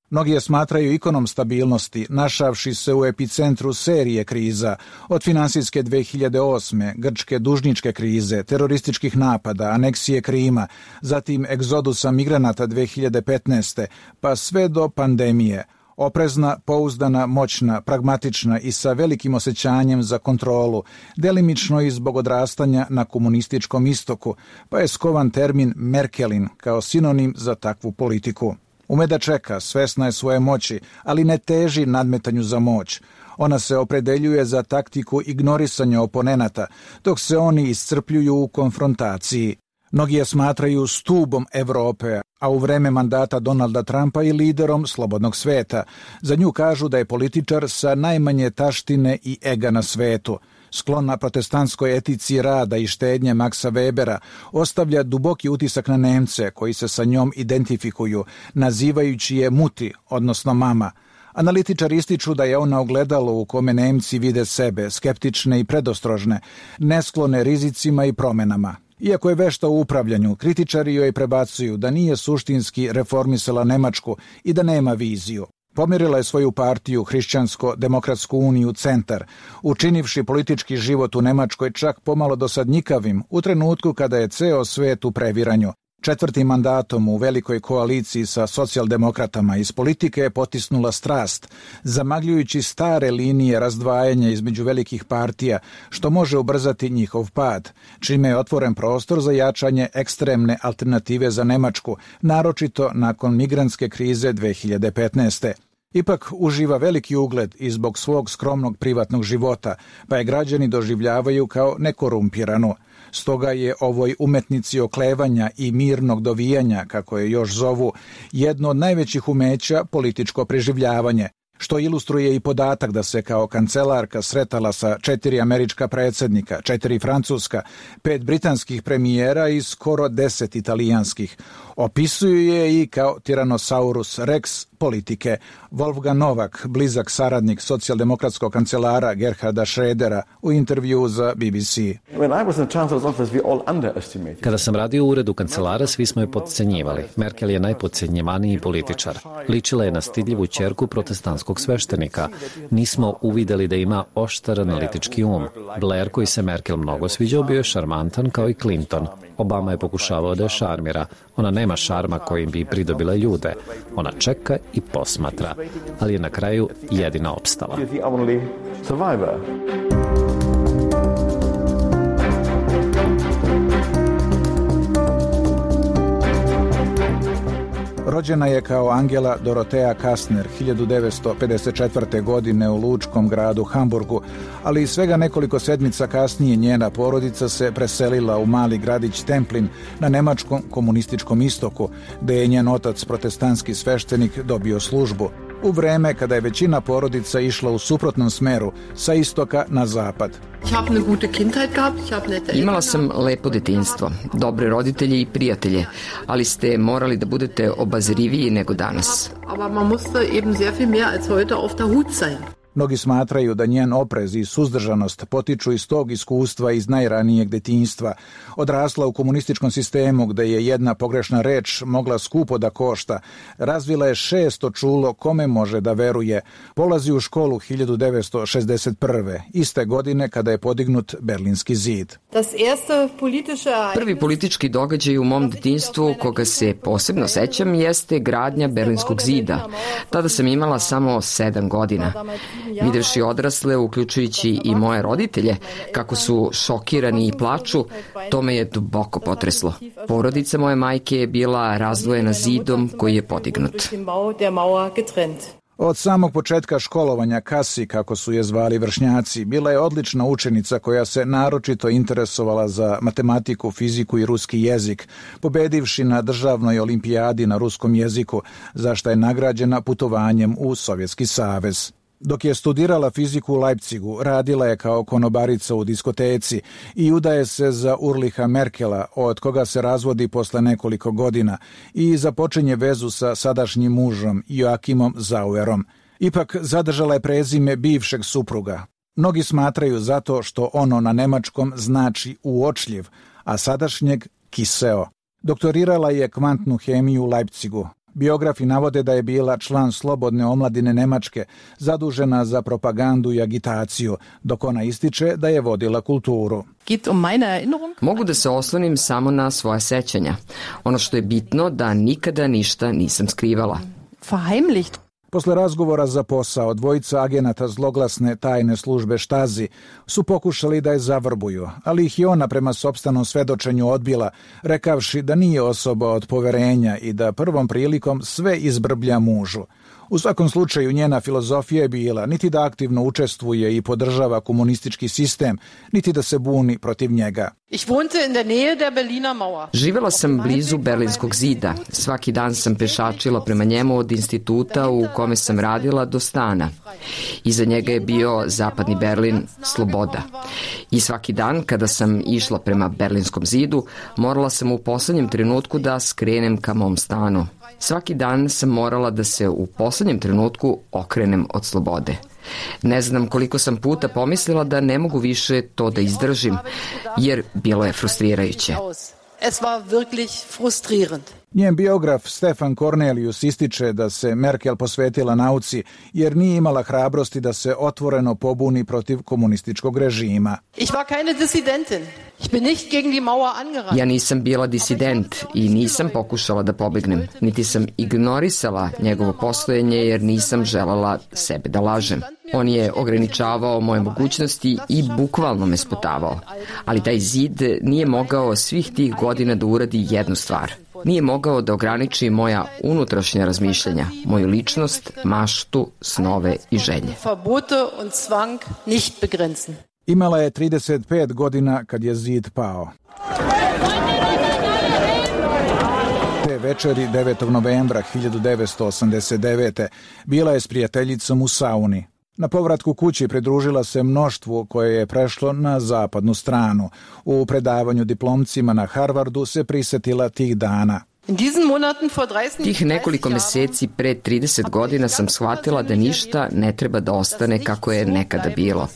Mnogi je smatraju ikonom stabilnosti, našavši se u epicentru serije kriza, od finansijske 2008. grčke dužničke krize, terorističkih napada, aneksije Krima, zatim egzodusa migranata 2015. pa sve do pandemije. Oprezna, pouzdana, moćna, pragmatična i sa velikim osjećanjem za kontrolu, delimično i zbog odrastanja na komunističkom istoku, pa je skovan termin Merkelin kao sinonim za takvu politiku. Ume da čeka, svesna je svoje moći, ali ne teži nadmetanju za moć. Ona se opredeljuje za taktiku ignorisanja oponenata, dok se oni iscrpljuju u konfrontaciji. Mnogi je smatraju stubom Evrope, a u vreme mandata Donalda Trumpa i liderom slobodnog sveta. Za nju kažu da je političar sa najmanje taštine i ega na svetu. Sklona protestantskoj etici rada i štednje Maxa Webera ostavlja duboki utisak na Nemce koji se sa njom identifikuju, nazivajući je muti, odnosno mama. Analitičari ističu da je ona ogledalo u kome Nemci vide sebe, skeptične i predostrožne, nesklone rizicima i promenama. Iako je vešta u upravljanju, kritičari joj prebacuju da nije suštinski reformisala Nemačku i da nema viziju. Pomjerila je svoju partiju Hrišćansko-demokratsku uniju Centar, učinivši politički život u Nemačkoj čak pomalo dosadnjikavim u trenutku kada je ceo svet u previranju. 4. mandatom u velikoj koaliciji sa socijaldemokratama iz politike je potisnula strast, zamagljujući stare linije razdvajanja između velikih partija, što može ubrzati njihov pad, čime je otvoren prostor za jačanje ekstremne alternative za Nemačku, naročito nakon migrantske krize 2015. Ipak uživa veliki ugled i zbog svog skromnog privatnog života, pa je građani doživljavaju kao nekorumpiranu. Stoga je ovoj umetnici oklevanja i mirnog dovijanja, kako je još zovu, jedno od najvećih umeća političko preživljavanje, što ilustruje i podatak da se kao kancelarka sretala sa 4 američka predsjednika, 4 francuska, 5 britanskih premijera i skoro 10 italijanskih. Opisuju je i kao Tyrannosaurus Rex politike. Wolfgang Novak, blizak saradnik socijaldemokratskog kancelara Gerharda Schrödera, u intervju za BBC. Kada sam radio u uredu kancelara, svi smo je podcenjivali. Merkel je najpodcenjivaniji političar. Ličila je na stidljivu ćerku protestantskog sveštenika. Nismo uvideli da ima oštar analitički um. Blair, koji se Merkel mnogo sviđao, bio je šarmantan kao i Clinton. Obama je pokušavao da je šarmira. Ona nema šarma kojim bi pridobila ljude. Ona čeka i posmatra, ali je na kraju jedina opstala. Rođena je kao Angela Dorothea Kastner 1954. godine u lučkom gradu Hamburgu, ali i svega nekoliko sedmica kasnije njena porodica se preselila u mali gradić Templin na nemačkom komunističkom istoku, gde je njen otac, protestantski sveštenik, dobio službu. U vreme kada je većina porodica išla u suprotnom smeru, sa istoka na zapad. Imala sam lepo detinjstvo, dobre roditelje i prijatelje, ali ste morali da budete obazriviji nego danas. Mnogi smatraju da njen oprez i suzdržanost potiču iz tog iskustva iz najranijeg detinjstva. Odrasla u komunističkom sistemu gde je jedna pogrešna reč mogla skupo da košta. Razvila je 600 čulo kome može da veruje. Polazi u školu 1961. iste godine kada je podignut Berlinski zid. Prvi politički događaj u mom detinjstvu koga se posebno sećam jeste gradnja Berlinskog zida. Tada sam imala samo 7 godina. Videvši odrasle, uključujući i moje roditelje, kako su šokirani i plaču, to me je duboko potreslo. Porodica moje majke je bila razdvojena zidom koji je podignut. Od samog početka školovanja Kasi, kako su je zvali vršnjaci, bila je odlična učenica koja se naročito interesovala za matematiku, fiziku i ruski jezik, pobedivši na državnoj olimpijadi na ruskom jeziku, za što je nagrađena putovanjem u Sovjetski savez. Dok je studirala fiziku u Leipzigu, radila je kao konobarica u diskoteci i udaje se za Ulricha Merkela, od koga se razvodi posle nekoliko godina i započinje vezu sa sadašnjim mužom Joachimom Zauerom. Ipak zadržala je prezime bivšeg supruga. Mnogi smatraju zato što ono na nemačkom znači uočljiv, a sadašnjeg kiseo. Doktorirala je kvantnu hemiju u Leipzigu. Biografi navode da je bila član Slobodne omladine Nemačke, zadužena za propagandu i agitaciju, dok ona ističe da je vodila kulturu. Mogu da se oslonim samo na svoja sećanja. Ono što je bitno da nikada ništa nisam skrivala. Posle razgovora za posao, dvojica agenata zloglasne tajne službe Štazi su pokušali da je zavrbuju, ali ih je ona prema sopstvenom svedočenju odbila, rekavši da nije osoba od poverenja i da prvom prilikom sve izbrblja mužu. U svakom slučaju njena filozofija je bila niti da aktivno učestvuje i podržava komunistički sistem, niti da se buni protiv njega. Živela sam blizu Berlinskog zida. Svaki dan sam pešačila prema njemu od instituta u kome sam radila do stana. Iza njega je bio zapadni Berlin, sloboda. I svaki dan kada sam išla prema Berlinskom zidu, morala sam u poslednjem trenutku da skrenem ka mom stanu. Svaki dan sam morala da se u poslednjem trenutku okrenem od slobode. Ne znam koliko sam puta pomislila da ne mogu više to da izdržim, jer bilo je frustrirajuće. Njen biograf Stefan Cornelius ističe da se Merkel posvetila nauci jer nije imala hrabrosti da se otvoreno pobuni protiv komunističkog režima. Ja nisam bila disident i nisam pokušala da pobegnem, niti sam ignorisala njegovo postojanje jer nisam želala sebe da lažem. On je ograničavao moje mogućnosti i bukvalno me sputavao. Ali taj zid nije mogao svih tih godina da uradi jednu stvar. Nije mogao da ograniči moja unutrašnja razmišljanja, moju ličnost, maštu, snove i želje. Imala je 35 godina kad je zid pao. Te večeri 9. novembra 1989. bila je s prijateljicom u sauni. Na povratku kući pridružila se mnoštvu koje je prešlo na zapadnu stranu. U predavanju diplomcima na Harvardu se prisetila tih dana. Tih nekoliko meseci pre 30 godina sam shvatila da ništa ne treba da ostane kako je nekada bilo.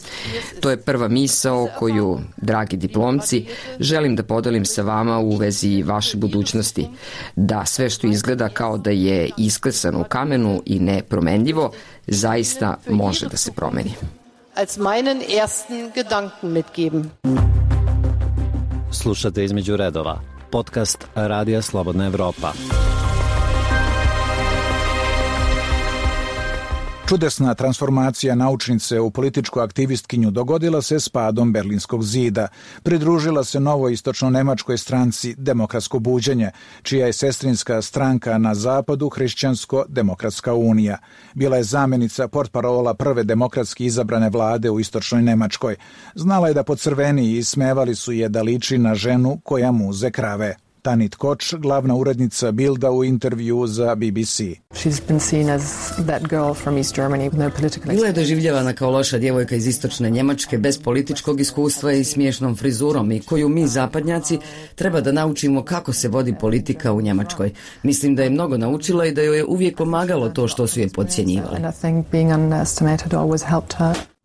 To je prva misao koju, dragi diplomci, želim da podelim sa vama u vezi vaše budućnosti. Da sve što izgleda kao da je isklesano u kamenu i nepromenljivo, zaista može da se promeni. Slušate Između redova, podcast Radija Slobodna Evropa. Čudesna transformacija naučnice u političku aktivistkinju dogodila se s padom Berlinskog zida. Pridružila se novoj istočno-nemačkoj stranci Demokratsko buđenje, čija je sestrinska stranka na zapadu Hrišćansko-demokratska unija. Bila je zamjenica portparola prve demokratski izabrane vlade u istočnoj Nemačkoj. Znala je da pocrveni i ismevali su je da liči na ženu koja muze krave. Tanit Koč, glavna urednica Bilda u intervju za BBC. Bila je doživljavana kao loša djevojka iz istočne Njemačke bez političkog iskustva i smiješnom frizurom i koju mi zapadnjaci treba da naučimo kako se vodi politika u Njemačkoj. Mislim da je mnogo naučila i da joj je uvijek pomagalo to što su je podcjenjivali.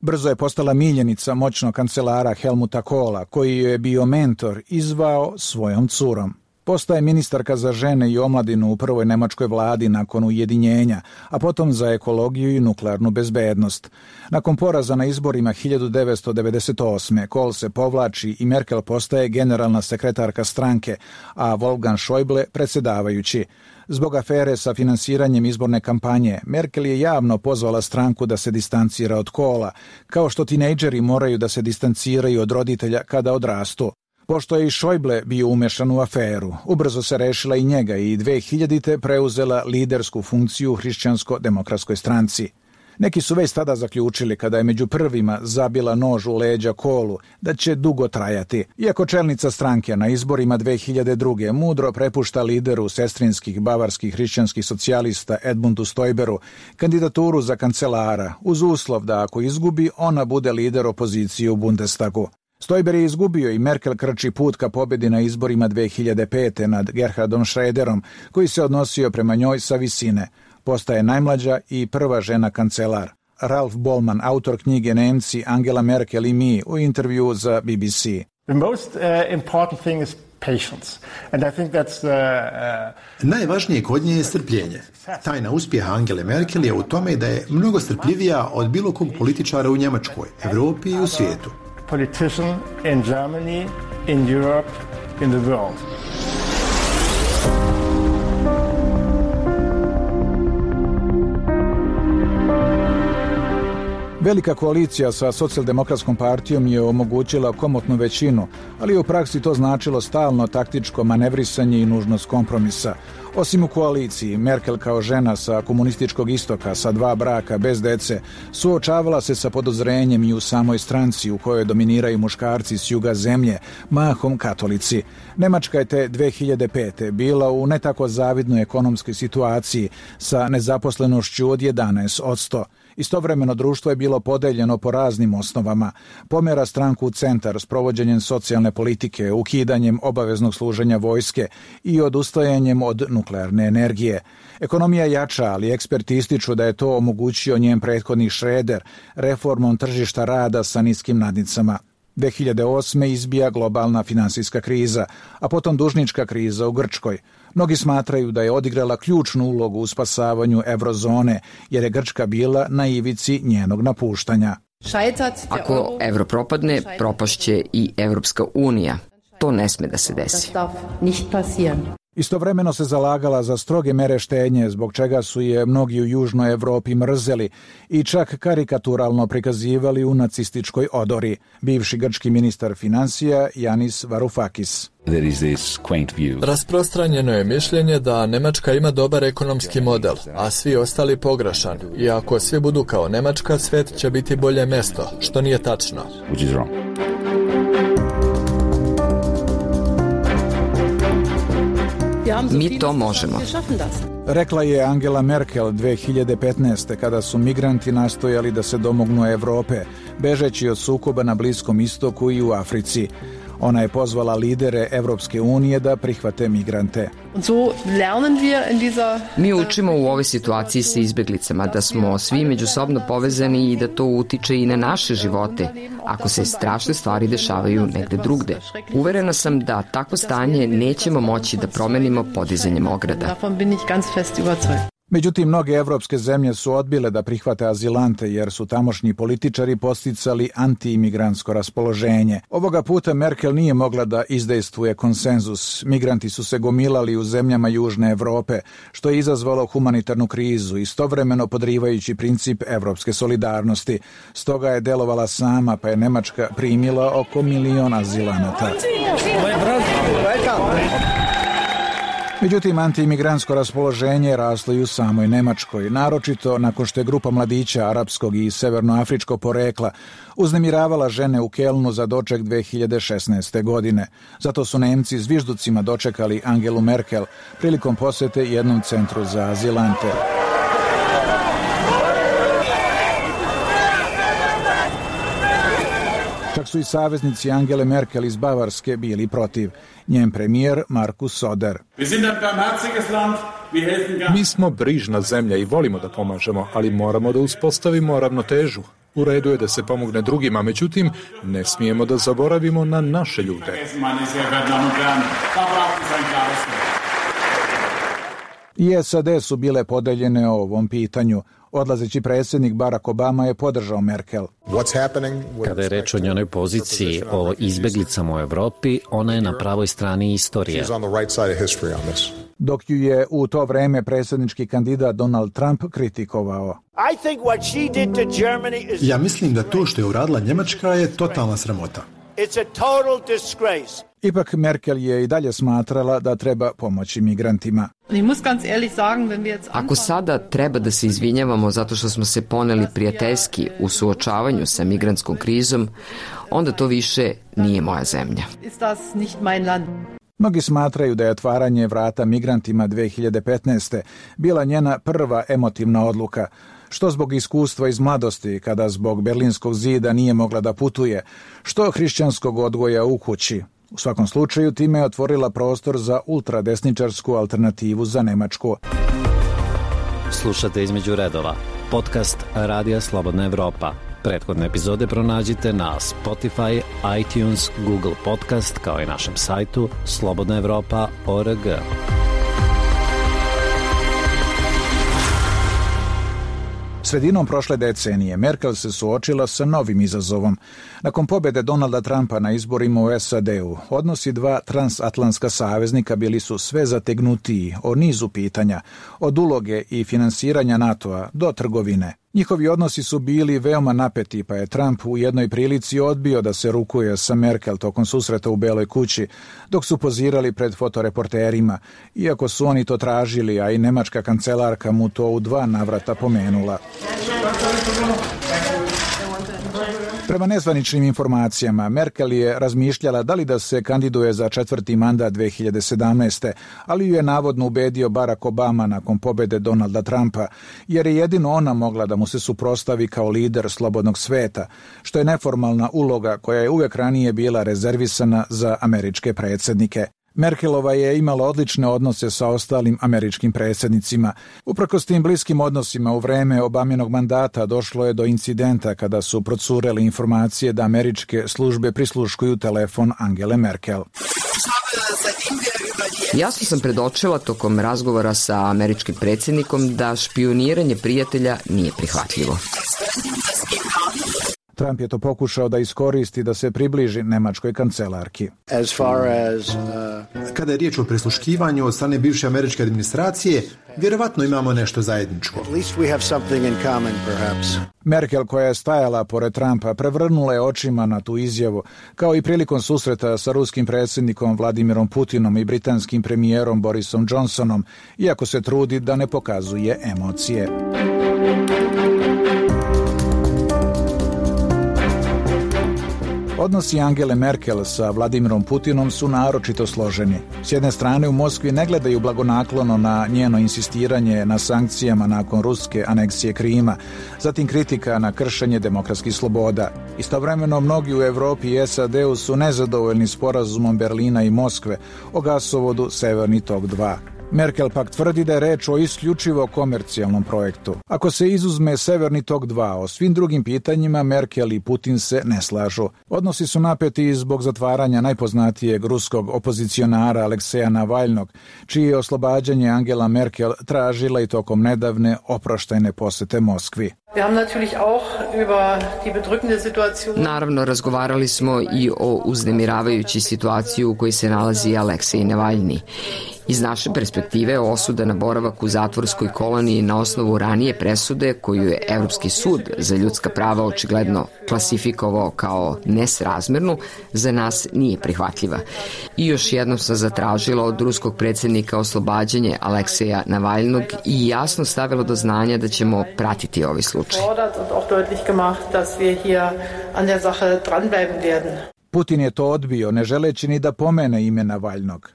Brzo je postala miljenica moćnog kancelara Helmuta Kohla, koji je bio mentor i zvao svojom curom. Postaje ministarka za žene i omladinu u prvoj nemačkoj vladi nakon ujedinjenja, a potom za ekologiju i nuklearnu bezbednost. Nakon poraza na izborima 1998. Kohl se povlači i Merkel postaje generalna sekretarka stranke, a Wolfgang Schäuble predsjedavajući. Zbog afere sa finansiranjem izborne kampanje, Merkel je javno pozvala stranku da se distancira od Kohla, kao što tinejdžeri moraju da se distanciraju od roditelja kada odrastu. Pošto je i Schäuble bio umešan u aferu, ubrzo se rešila i njega i 2000. preuzela lidersku funkciju u Hrišćansko-demokratskoj stranci. Neki su već tada zaključili, kada je među prvima zabila nož u leđa Kohlu, da će dugo trajati. Iako čelnica stranke na izborima 2002. mudro prepušta lideru sestrinskih bavarskih hrišćanskih socijalista Edmundu Stoiberu kandidaturu za kancelara, uz uslov da ako izgubi, ona bude lider opozicije u Bundestagu. Stoiber je izgubio i Merkel krči put ka pobjedi na izborima 2005. nad Gerhardom Schröderom, koji se odnosio prema njoj sa visine. Postaje najmlađa i prva žena kancelar. Ralf Bollmann, autor knjige Nemci, Angela Merkel i mi, u intervju za BBC. Najvažnije kod nje je strpljenje. Tajna uspjeha Angele Merkel je u tome da je mnogo strpljivija od bilo kog političara u Njemačkoj, Evropi i u svijetu. Politician in Germany, in Europe, in the world. Velika koalicija sa socijaldemokratskom partijom je omogućila komotnu većinu, ali u praksi to značilo stalno taktičko manevrisanje i nužnost kompromisa. Osim u koaliciji, Merkel kao žena sa komunističkog istoka, sa 2 braka, bez dece, suočavala se sa podozrenjem i u samoj stranci u kojoj dominiraju muškarci s juga zemlje, mahom katolici. Nemačka je te 2005. bila u ne tako zavidnoj ekonomskoj situaciji sa nezaposlenošću od 11%. Istovremeno društvo je bilo podeljeno po raznim osnovama. Pomera stranku u centar s provođenjem socijalne politike, ukidanjem obaveznog služenja vojske i odustajanjem od nuklearne energije. Ekonomija jača, ali eksperti ističu da je to omogućio njen prethodnik Schröder reformom tržišta rada sa niskim nadnicama. 2008. izbija globalna finansijska kriza, a potom dužnička kriza u Grčkoj. Mnogi smatraju da je odigrala ključnu ulogu u spasavanju eurozone, jer je Grčka bila na ivici njenog napuštanja. Ako evro propadne, propašće i Evropska unija. To ne sme da se desi. Istovremeno se zalagala za stroge mere štednje, zbog čega su je mnogi u Južnoj Evropi mrzeli i čak karikaturalno prikazivali u nacističkoj odori. Bivši grčki ministar financija Yanis Varoufakis. Rasprostranjeno je mišljenje da Nemačka ima dobar ekonomski model, a svi ostali pogrešan. I ako svi budu kao Nemačka, svet će biti bolje mesto, što nije tačno. Mi to možemo. Rekla je Angela Merkel 2015. kada su migranti nastojali da se domognu Evrope, bežeći od sukoba na Bliskom istoku i u Africi. Ona je pozvala lidere Evropske unije da prihvate migrante. Mi učimo u ovoj situaciji sa izbeglicama da smo svi međusobno povezani i da to utiče i na naše živote, ako se strašne stvari dešavaju negde drugde. Uverena sam da takvo stanje nećemo moći da promenimo podizanjem ograda. Međutim, mnoge evropske zemlje su odbile da prihvate azilante jer su tamošnji političari posticali anti-imigrantsko raspoloženje. Ovoga puta Merkel nije mogla da izdejstvuje konsenzus. Migranti su se gomilali u zemljama Južne Evrope, što je izazvalo humanitarnu krizu, istovremeno podrivajući princip evropske solidarnosti. Stoga je delovala sama, pa je Nemačka primila oko 1 milion azilanata. Međutim, antiimigrantsko raspoloženje raslo i u samoj Nemačkoj, naročito nakon što je grupa mladića arapskog i severnoafričkog porekla uznemiravala žene u Kelnu za doček 2016. godine. Zato su Nemci zvižducima dočekali Angelu Merkel prilikom posete jednom centru za azilante. Čak su i saveznici Angele Merkel iz Bavarske bili protiv. Njen premijer Markus Söder. Mi smo brižna zemlja i volimo da pomažemo, ali moramo da uspostavimo ravnotežu. U redu je da se pomogne drugima, međutim, ne smijemo da zaboravimo na naše ljude. I SAD su bile podeljene o ovom pitanju. Odlazeći predsjednik Barack Obama je podržao Merkel. Kada je reč o njenoj poziciji o izbeglicama u Evropi, ona je na pravoj strani istorije. Dok ju je u to vreme predsjednički kandidat Donald Trump kritikovao. Ja mislim da to što je uradila Njemačka je totalna sramota. Ipak Merkel je i dalje smatrala da treba pomoći migrantima. Ako sada treba da se izvinjavamo zato što smo se poneli prijateljski u suočavanju sa migrantskom krizom, onda to više nije moja zemlja. Mnogi smatraju da je otvaranje vrata migrantima 2015. bila njena prva emotivna odluka, što zbog iskustva iz mladosti, kada zbog Berlinskog zida nije mogla da putuje, što hrišćanskog odgoja u kući. U svakom slučaju, time je otvorila prostor za ultradesničarsku alternativu za Nemačku. Slušate Između redova, podcast Radija Slobodna Evropa. Prethodne epizode pronađite na Spotify, iTunes, Google Podcast, kao i našem sajtu slobodnaevropa.org. Sredinom prošle decenije Merkel se suočila sa novim izazovom. Nakon pobjede Donalda Trumpa na izborima u SAD-u, odnosi dva transatlantska saveznika bili su sve zategnutiji o nizu pitanja, od uloge i finansiranja NATO-a do trgovine. Njihovi odnosi su bili veoma napeti, pa je Trump u jednoj prilici odbio da se rukuje sa Merkel tokom susreta u Beloj kući, dok su pozirali pred fotoreporterima, iako su oni to tražili, a i nemačka kancelarka mu to u 2 navrata pomenula. Prema nezvaničnim informacijama, Merkel je razmišljala da li da se kandiduje za 4. mandat 2017. ali ju je navodno ubedio Barack Obama nakon pobjede Donalda Trumpa, jer je jedino ona mogla da mu se suprotstavi kao lider slobodnog sveta, što je neformalna uloga koja je uvek ranije bila rezervisana za američke predsjednike. Merkelova je imala odlične odnose sa ostalim američkim predsjednicima. Uprkos tim bliskim odnosima u vreme Obaminog mandata došlo je do incidenta kada su procurele informacije da američke službe prisluškuju telefon Angele Merkel. Jasno sam predočila tokom razgovora sa američkim predsjednikom da špijuniranje prijatelja nije prihvatljivo. Trump je to pokušao da iskoristi da se približi nemačkoj kancelarki. Kada je riječ o prisluškivanju od strane bivše američke administracije, vjerovatno imamo nešto zajedničko. Merkel, koja je stajala pored Trumpa, prevrnula je očima na tu izjavu, kao i prilikom susreta sa ruskim predsjednikom Vladimirom Putinom i britanskim premijerom Borisom Johnsonom, iako se trudi da ne pokazuje emocije. Odnosi Angele Merkel sa Vladimirom Putinom su naročito složeni. S jedne strane, u Moskvi ne gledaju blagonaklono na njeno insistiranje na sankcijama nakon ruske aneksije Krima, zatim kritika na kršenje demokratskih sloboda. Istovremeno, mnogi u Evropi i SAD-u su nezadovoljni sporazumom Berlina i Moskve o gasovodu Severni tok 2. Merkel pak tvrdi da je reč o isključivo komercijalnom projektu. Ako se izuzme Severni tok 2, o svim drugim pitanjima Merkel i Putin se ne slažu. Odnosi su napeti zbog zatvaranja najpoznatijeg ruskog opozicionara Alekseja Navalnog, čije je oslobađanje Angela Merkel tražila i tokom nedavne oproštajne posete Moskvi. Naravno, razgovarali smo i o uznemiravajućoj situaciji u kojoj se nalazi Aleksej Navalni. Iz naše perspektive, osuda na boravak u zatvorskoj koloniji na osnovu ranije presude koju je Evropski sud za ljudska prava očigledno klasifikovao kao nesrazmernu, za nas nije prihvatljiva. I još jednom sam zatražila od ruskog predsjednika oslobađanje Alekseja Navalnog i jasno stavila do znanja da ćemo pratiti ovaj slučaj. Putin je to odbio, ne želeći ni da pomene ime Navalnog.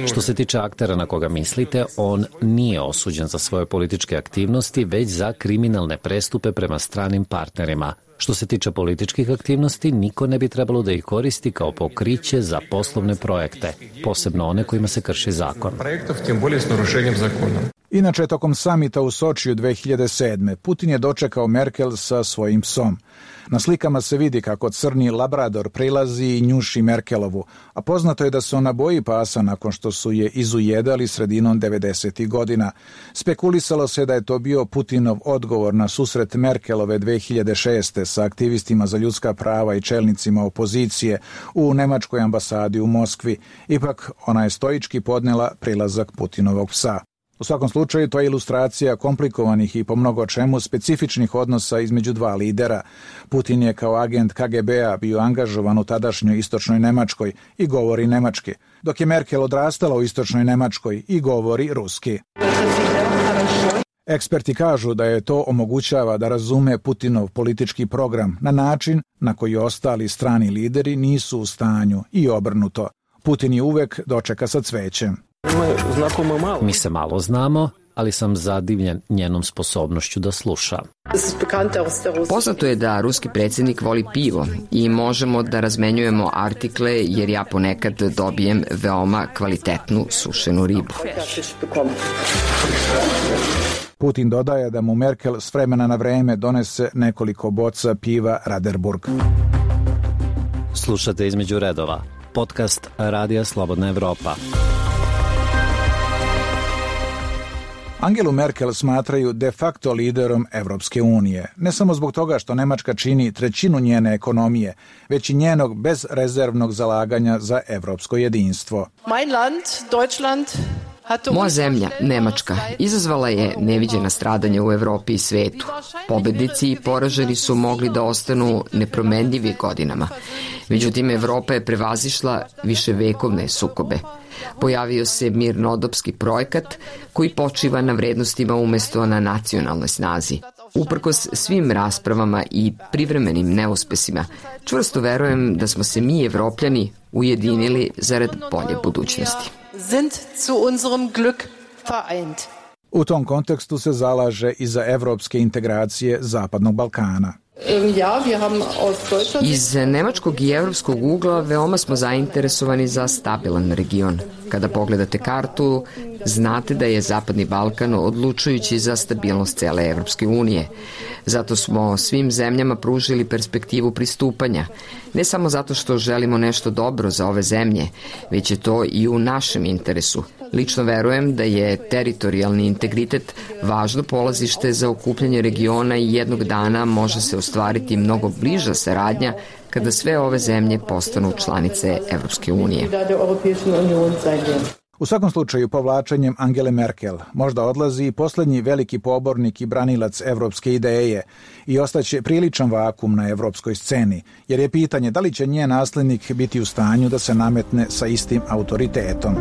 Što se tiče aktera na koga mislite, on nije osuđen za svoje političke aktivnosti, već za kriminalne prestupe prema stranim partnerima. Što se tiče političkih aktivnosti, niko ne bi trebalo da ih koristi kao pokriće za poslovne projekte, posebno one kojima se krši zakon. Inače, tokom samita u Sočiju 2007. Putin je dočekao Merkel sa svojim psom. Na slikama se vidi kako crni labrador prilazi i njuši Merkelovu, a poznato je da se ona boji pasa nakon što su je izujedali sredinom 90. godina. Spekulisalo se da je to bio Putinov odgovor na susret Merkelove 2006. sa aktivistima za ljudska prava i čelnicima opozicije u nemačkoj ambasadi u Moskvi. Ipak, ona je stoički podnela prilazak Putinovog psa. U svakom slučaju, to je ilustracija komplikovanih i po mnogo čemu specifičnih odnosa između dva lidera. Putin je kao agent KGB-a bio angažovan u tadašnjoj istočnoj Nemačkoj i govori nemački, dok je Merkel odrastala u istočnoj Nemačkoj i govori ruski. Eksperti kažu da je to omogućava da razume Putinov politički program na način na koji ostali strani lideri nisu u stanju i obrnuto. Putin je uvek dočeka sa cvećem. Mi se malo znamo, ali sam zadivljen njenom sposobnošću da sluša. Poznato je da ruski predsjednik voli pivo i možemo da razmenjujemo artikle jer ja ponekad dobijem veoma kvalitetnu sušenu ribu. Putin dodaje da mu Merkel s vremena na vreme donese nekoliko boca piva Raderburg. Slušate Između redova, podcast Radija Slobodna Evropa. Angelu Merkel smatraju de facto liderom Evropske unije, ne samo zbog toga što Nemačka čini trećinu njene ekonomije, već i njenog bezrezervnog zalaganja za evropsko jedinstvo. Moja zemlja, Nemačka, izazvala je neviđena stradanja u Evropi i svetu. Pobednici i poraženi su mogli da ostanu nepromenljivi godinama. Međutim, Evropa je prevazišla viševekovne sukobe. Pojavio se mirnodopski projekat koji počiva na vrednostima umesto na nacionalnoj snazi. Uprkos svim raspravama i privremenim neuspesima, čvrsto verujem da smo se mi, Evropljani, ujedinili zarad bolje budućnosti. U tom kontekstu se zalaže i za evropske integracije Zapadnog Balkana. Iz nemačkog i evropskog ugla veoma smo zainteresovani za stabilan region. Kada pogledate kartu, znate da je Zapadni Balkan odlučujući za stabilnost cele Evropske unije. Zato smo svim zemljama pružili perspektivu pristupanja. Ne samo zato što želimo nešto dobro za ove zemlje, već je to i u našem interesu. Lično verujem da je teritorijalni integritet važno polazište za okupljanje regiona i jednog dana može se ostvariti mnogo bliža saradnja kada sve ove zemlje postanu članice Evropske unije. U svakom slučaju, povlačenjem Angele Merkel možda odlazi i posljednji veliki pobornik i branilac evropske ideje i ostaće priličan vakum na evropskoj sceni, jer je pitanje da li će njen naslednik biti u stanju da se nametne sa istim autoritetom.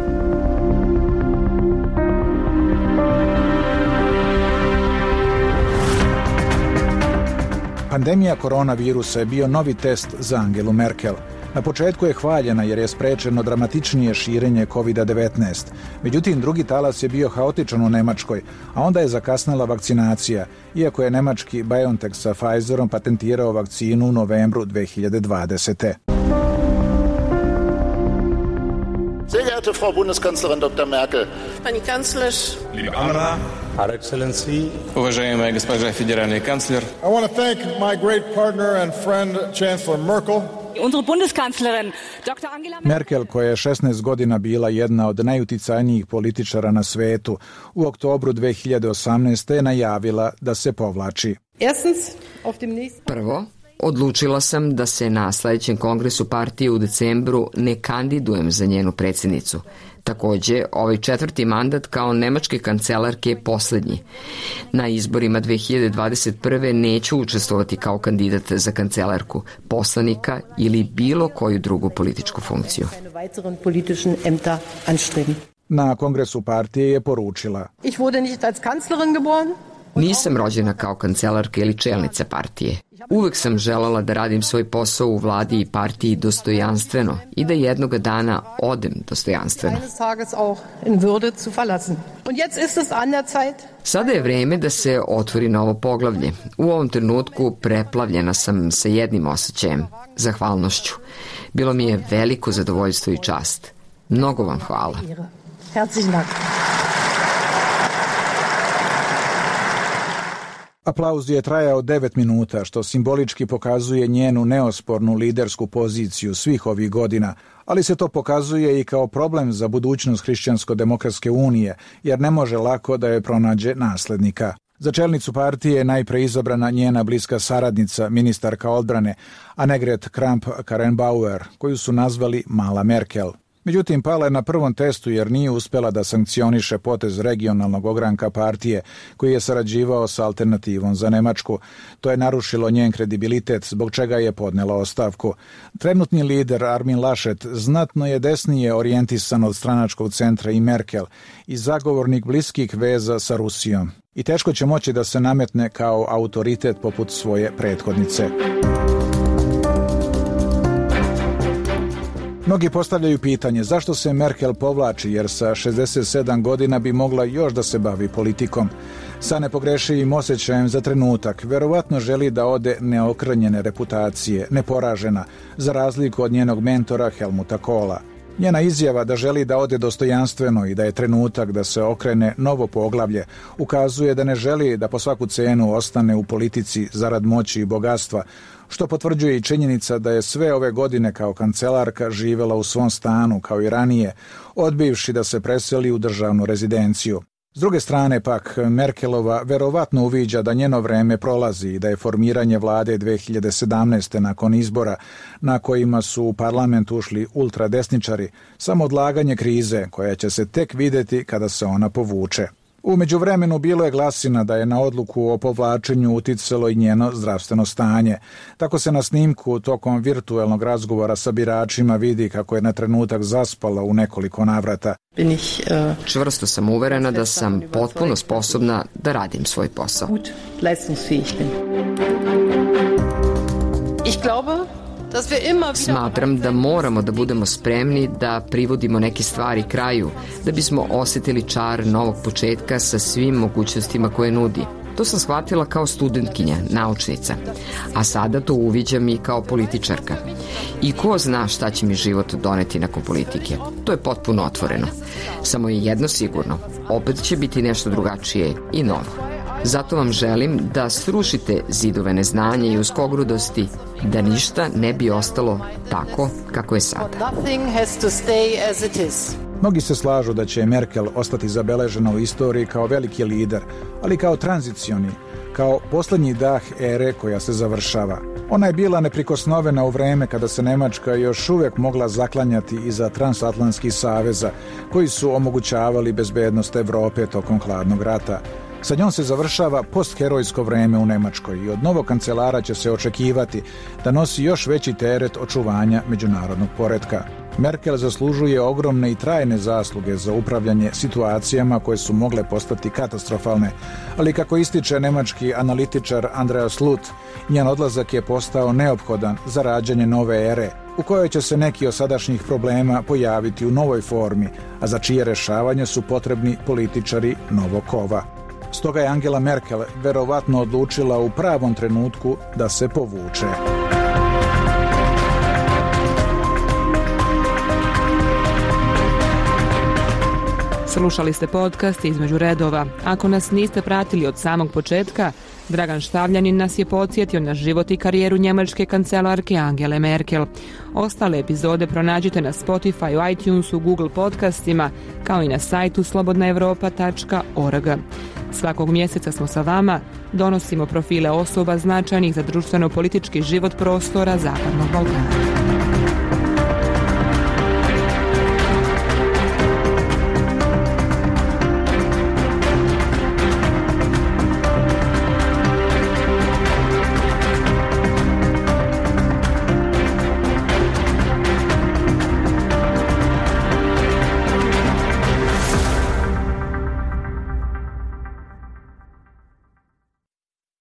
Pandemija koronavirusa je bio novi test za Angelu Merkel. Na početku je hvaljena jer je sprečeno dramatičnije širenje COVID-19. Međutim, drugi talas je bio haotičan u Nemačkoj, a onda je zakasnila vakcinacija, iako je nemački BioNTech sa Pfizerom patentirao vakcinu u novembru 2020. Sehr geehrte Frau Bundeskanzlerin Dr. Merkel, Pani Kanclerz, liebe Anna, Her Excellency, уважаемая госпожа федеральный канцлер. I want to thank my great partner and friend Chancellor Merkel. Unsere Bundeskanzlerin Dr. Angela Merkel, koja je 16 godina bila jedna od najuticajnijih političara na svetu, u oktobru 2018. je najavila da se povlači. Prvo, odlučila sam da se na sljedećem kongresu partije u decembru ne kandidujem za njenu predsjednicu. Također, ovaj 4. mandat kao nemačke kancelarke je posljednji. Na izborima 2021. neću učestvovati kao kandidat za kancelarku, poslanika ili bilo koju drugu političku funkciju. Na kongresu partije je poručila: Nisam rođena kao kancelarka ili čelnica partije. Uvek sam želala da radim svoj posao u vladi i partiji dostojanstveno i da jednoga dana odem dostojanstveno. Sada je vreme da se otvori novo poglavlje. U ovom trenutku preplavljena sam sa jednim osjećajem, zahvalnošću. Bilo mi je veliko zadovoljstvo i čast. Mnogo vam hvala. Aplauz je trajao 9 minuta, što simbolički pokazuje njenu neospornu lidersku poziciju svih ovih godina, ali se to pokazuje i kao problem za budućnost Hrišćansko-demokratske unije, jer ne može lako da je pronađe naslednika. Za čelnicu partije je najpre izabrana njena bliska saradnica, ministarka odbrane, Annegret Kramp-Karrenbauer, koju su nazvali Mala Merkel. Međutim, pala je na prvom testu jer nije uspjela da sankcioniše potez regionalnog ogranka partije koji je sarađivao sa Alternativom za Nemačku. To je narušilo njen kredibilitet, zbog čega je podnela ostavku. Trenutni lider Armin Laschet znatno je desnije orijentisan od stranačkog centra i Merkel i zagovornik bliskih veza sa Rusijom. I teško će moći da se nametne kao autoritet poput svoje prethodnice. Mnogi postavljaju pitanje zašto se Merkel povlači, jer sa 67 godina bi mogla još da se bavi politikom. Sa nepogrešivim osjećajem za trenutak, verovatno želi da ode neokrnjene reputacije, neporažena, za razliku od njenog mentora Helmuta Kohla. Njena izjava da želi da ode dostojanstveno i da je trenutak da se okrene novo poglavlje ukazuje da ne želi da po svaku cenu ostane u politici zarad moći i bogatstva, što potvrđuje i činjenica da je sve ove godine kao kancelarka živjela u svom stanu kao i ranije, odbivši da se preseli u državnu rezidenciju. S druge strane pak, Merkelova verovatno uviđa da njeno vreme prolazi i da je formiranje vlade 2017. nakon izbora na kojima su u parlament ušli ultradesničari samo odlaganje krize koja će se tek vidjeti kada se ona povuče. U međuvremenu bilo je glasina da je na odluku o povlačenju uticalo i njeno zdravstveno stanje. Tako se na snimku tokom virtuelnog razgovora sa biračima vidi kako je na trenutak zaspala u nekoliko navrata. Čvrsto sam uverena da sam potpuno sposobna da radim svoj posao. Smatram da moramo da budemo spremni da privodimo neke stvari kraju, da bismo osjetili čar novog početka sa svim mogućnostima koje nudi. To sam shvatila kao studentkinja, naučnica, a sada to uviđam i kao političarka. I ko zna šta će mi život doneti nakon politike. To je potpuno otvoreno. Samo je jedno sigurno, opet će biti nešto drugačije i novo. Zato vam želim da srušite zidove neznanja i uskogrudosti, da ništa ne bi ostalo tako kako je sada. Mnogi se slažu da će Merkel ostati zabeležena u istoriji kao veliki lider, ali kao tranzicioni, kao posljednji dah ere koja se završava. Ona je bila neprikosnovena u vreme kada se Nemačka još uvijek mogla zaklanjati iza transatlantskih saveza koji su omogućavali bezbednost Evrope tokom hladnog rata. Sa njom se završava postherojsko vreme u Nemačkoj i od novog kancelara će se očekivati da nosi još veći teret očuvanja međunarodnog poretka. Merkel zaslužuje ogromne i trajne zasluge za upravljanje situacijama koje su mogle postati katastrofalne, ali kako ističe nemački analitičar Andreas Luth, njen odlazak je postao neophodan za rađanje nove ere, u kojoj će se neki od sadašnjih problema pojaviti u novoj formi, a za čije rešavanje su potrebni političari novog kova. Stoga je Angela Merkel verovatno odlučila u pravom trenutku da se povuče. Slušali ste podcast Između redova. Ako nas niste pratili od samog početka, Dragan Štavljanin nas je podsjetio na život i karijeru njemačke kancelarke Angele Merkel. Ostale epizode pronađite na Spotify, iTunesu, Google podcastima, kao i na sajtu slobodnaevropa.org. Svakog mjeseca smo sa vama, donosimo profile osoba značajnih za društveno-politički život prostora Zapadnog Balkana.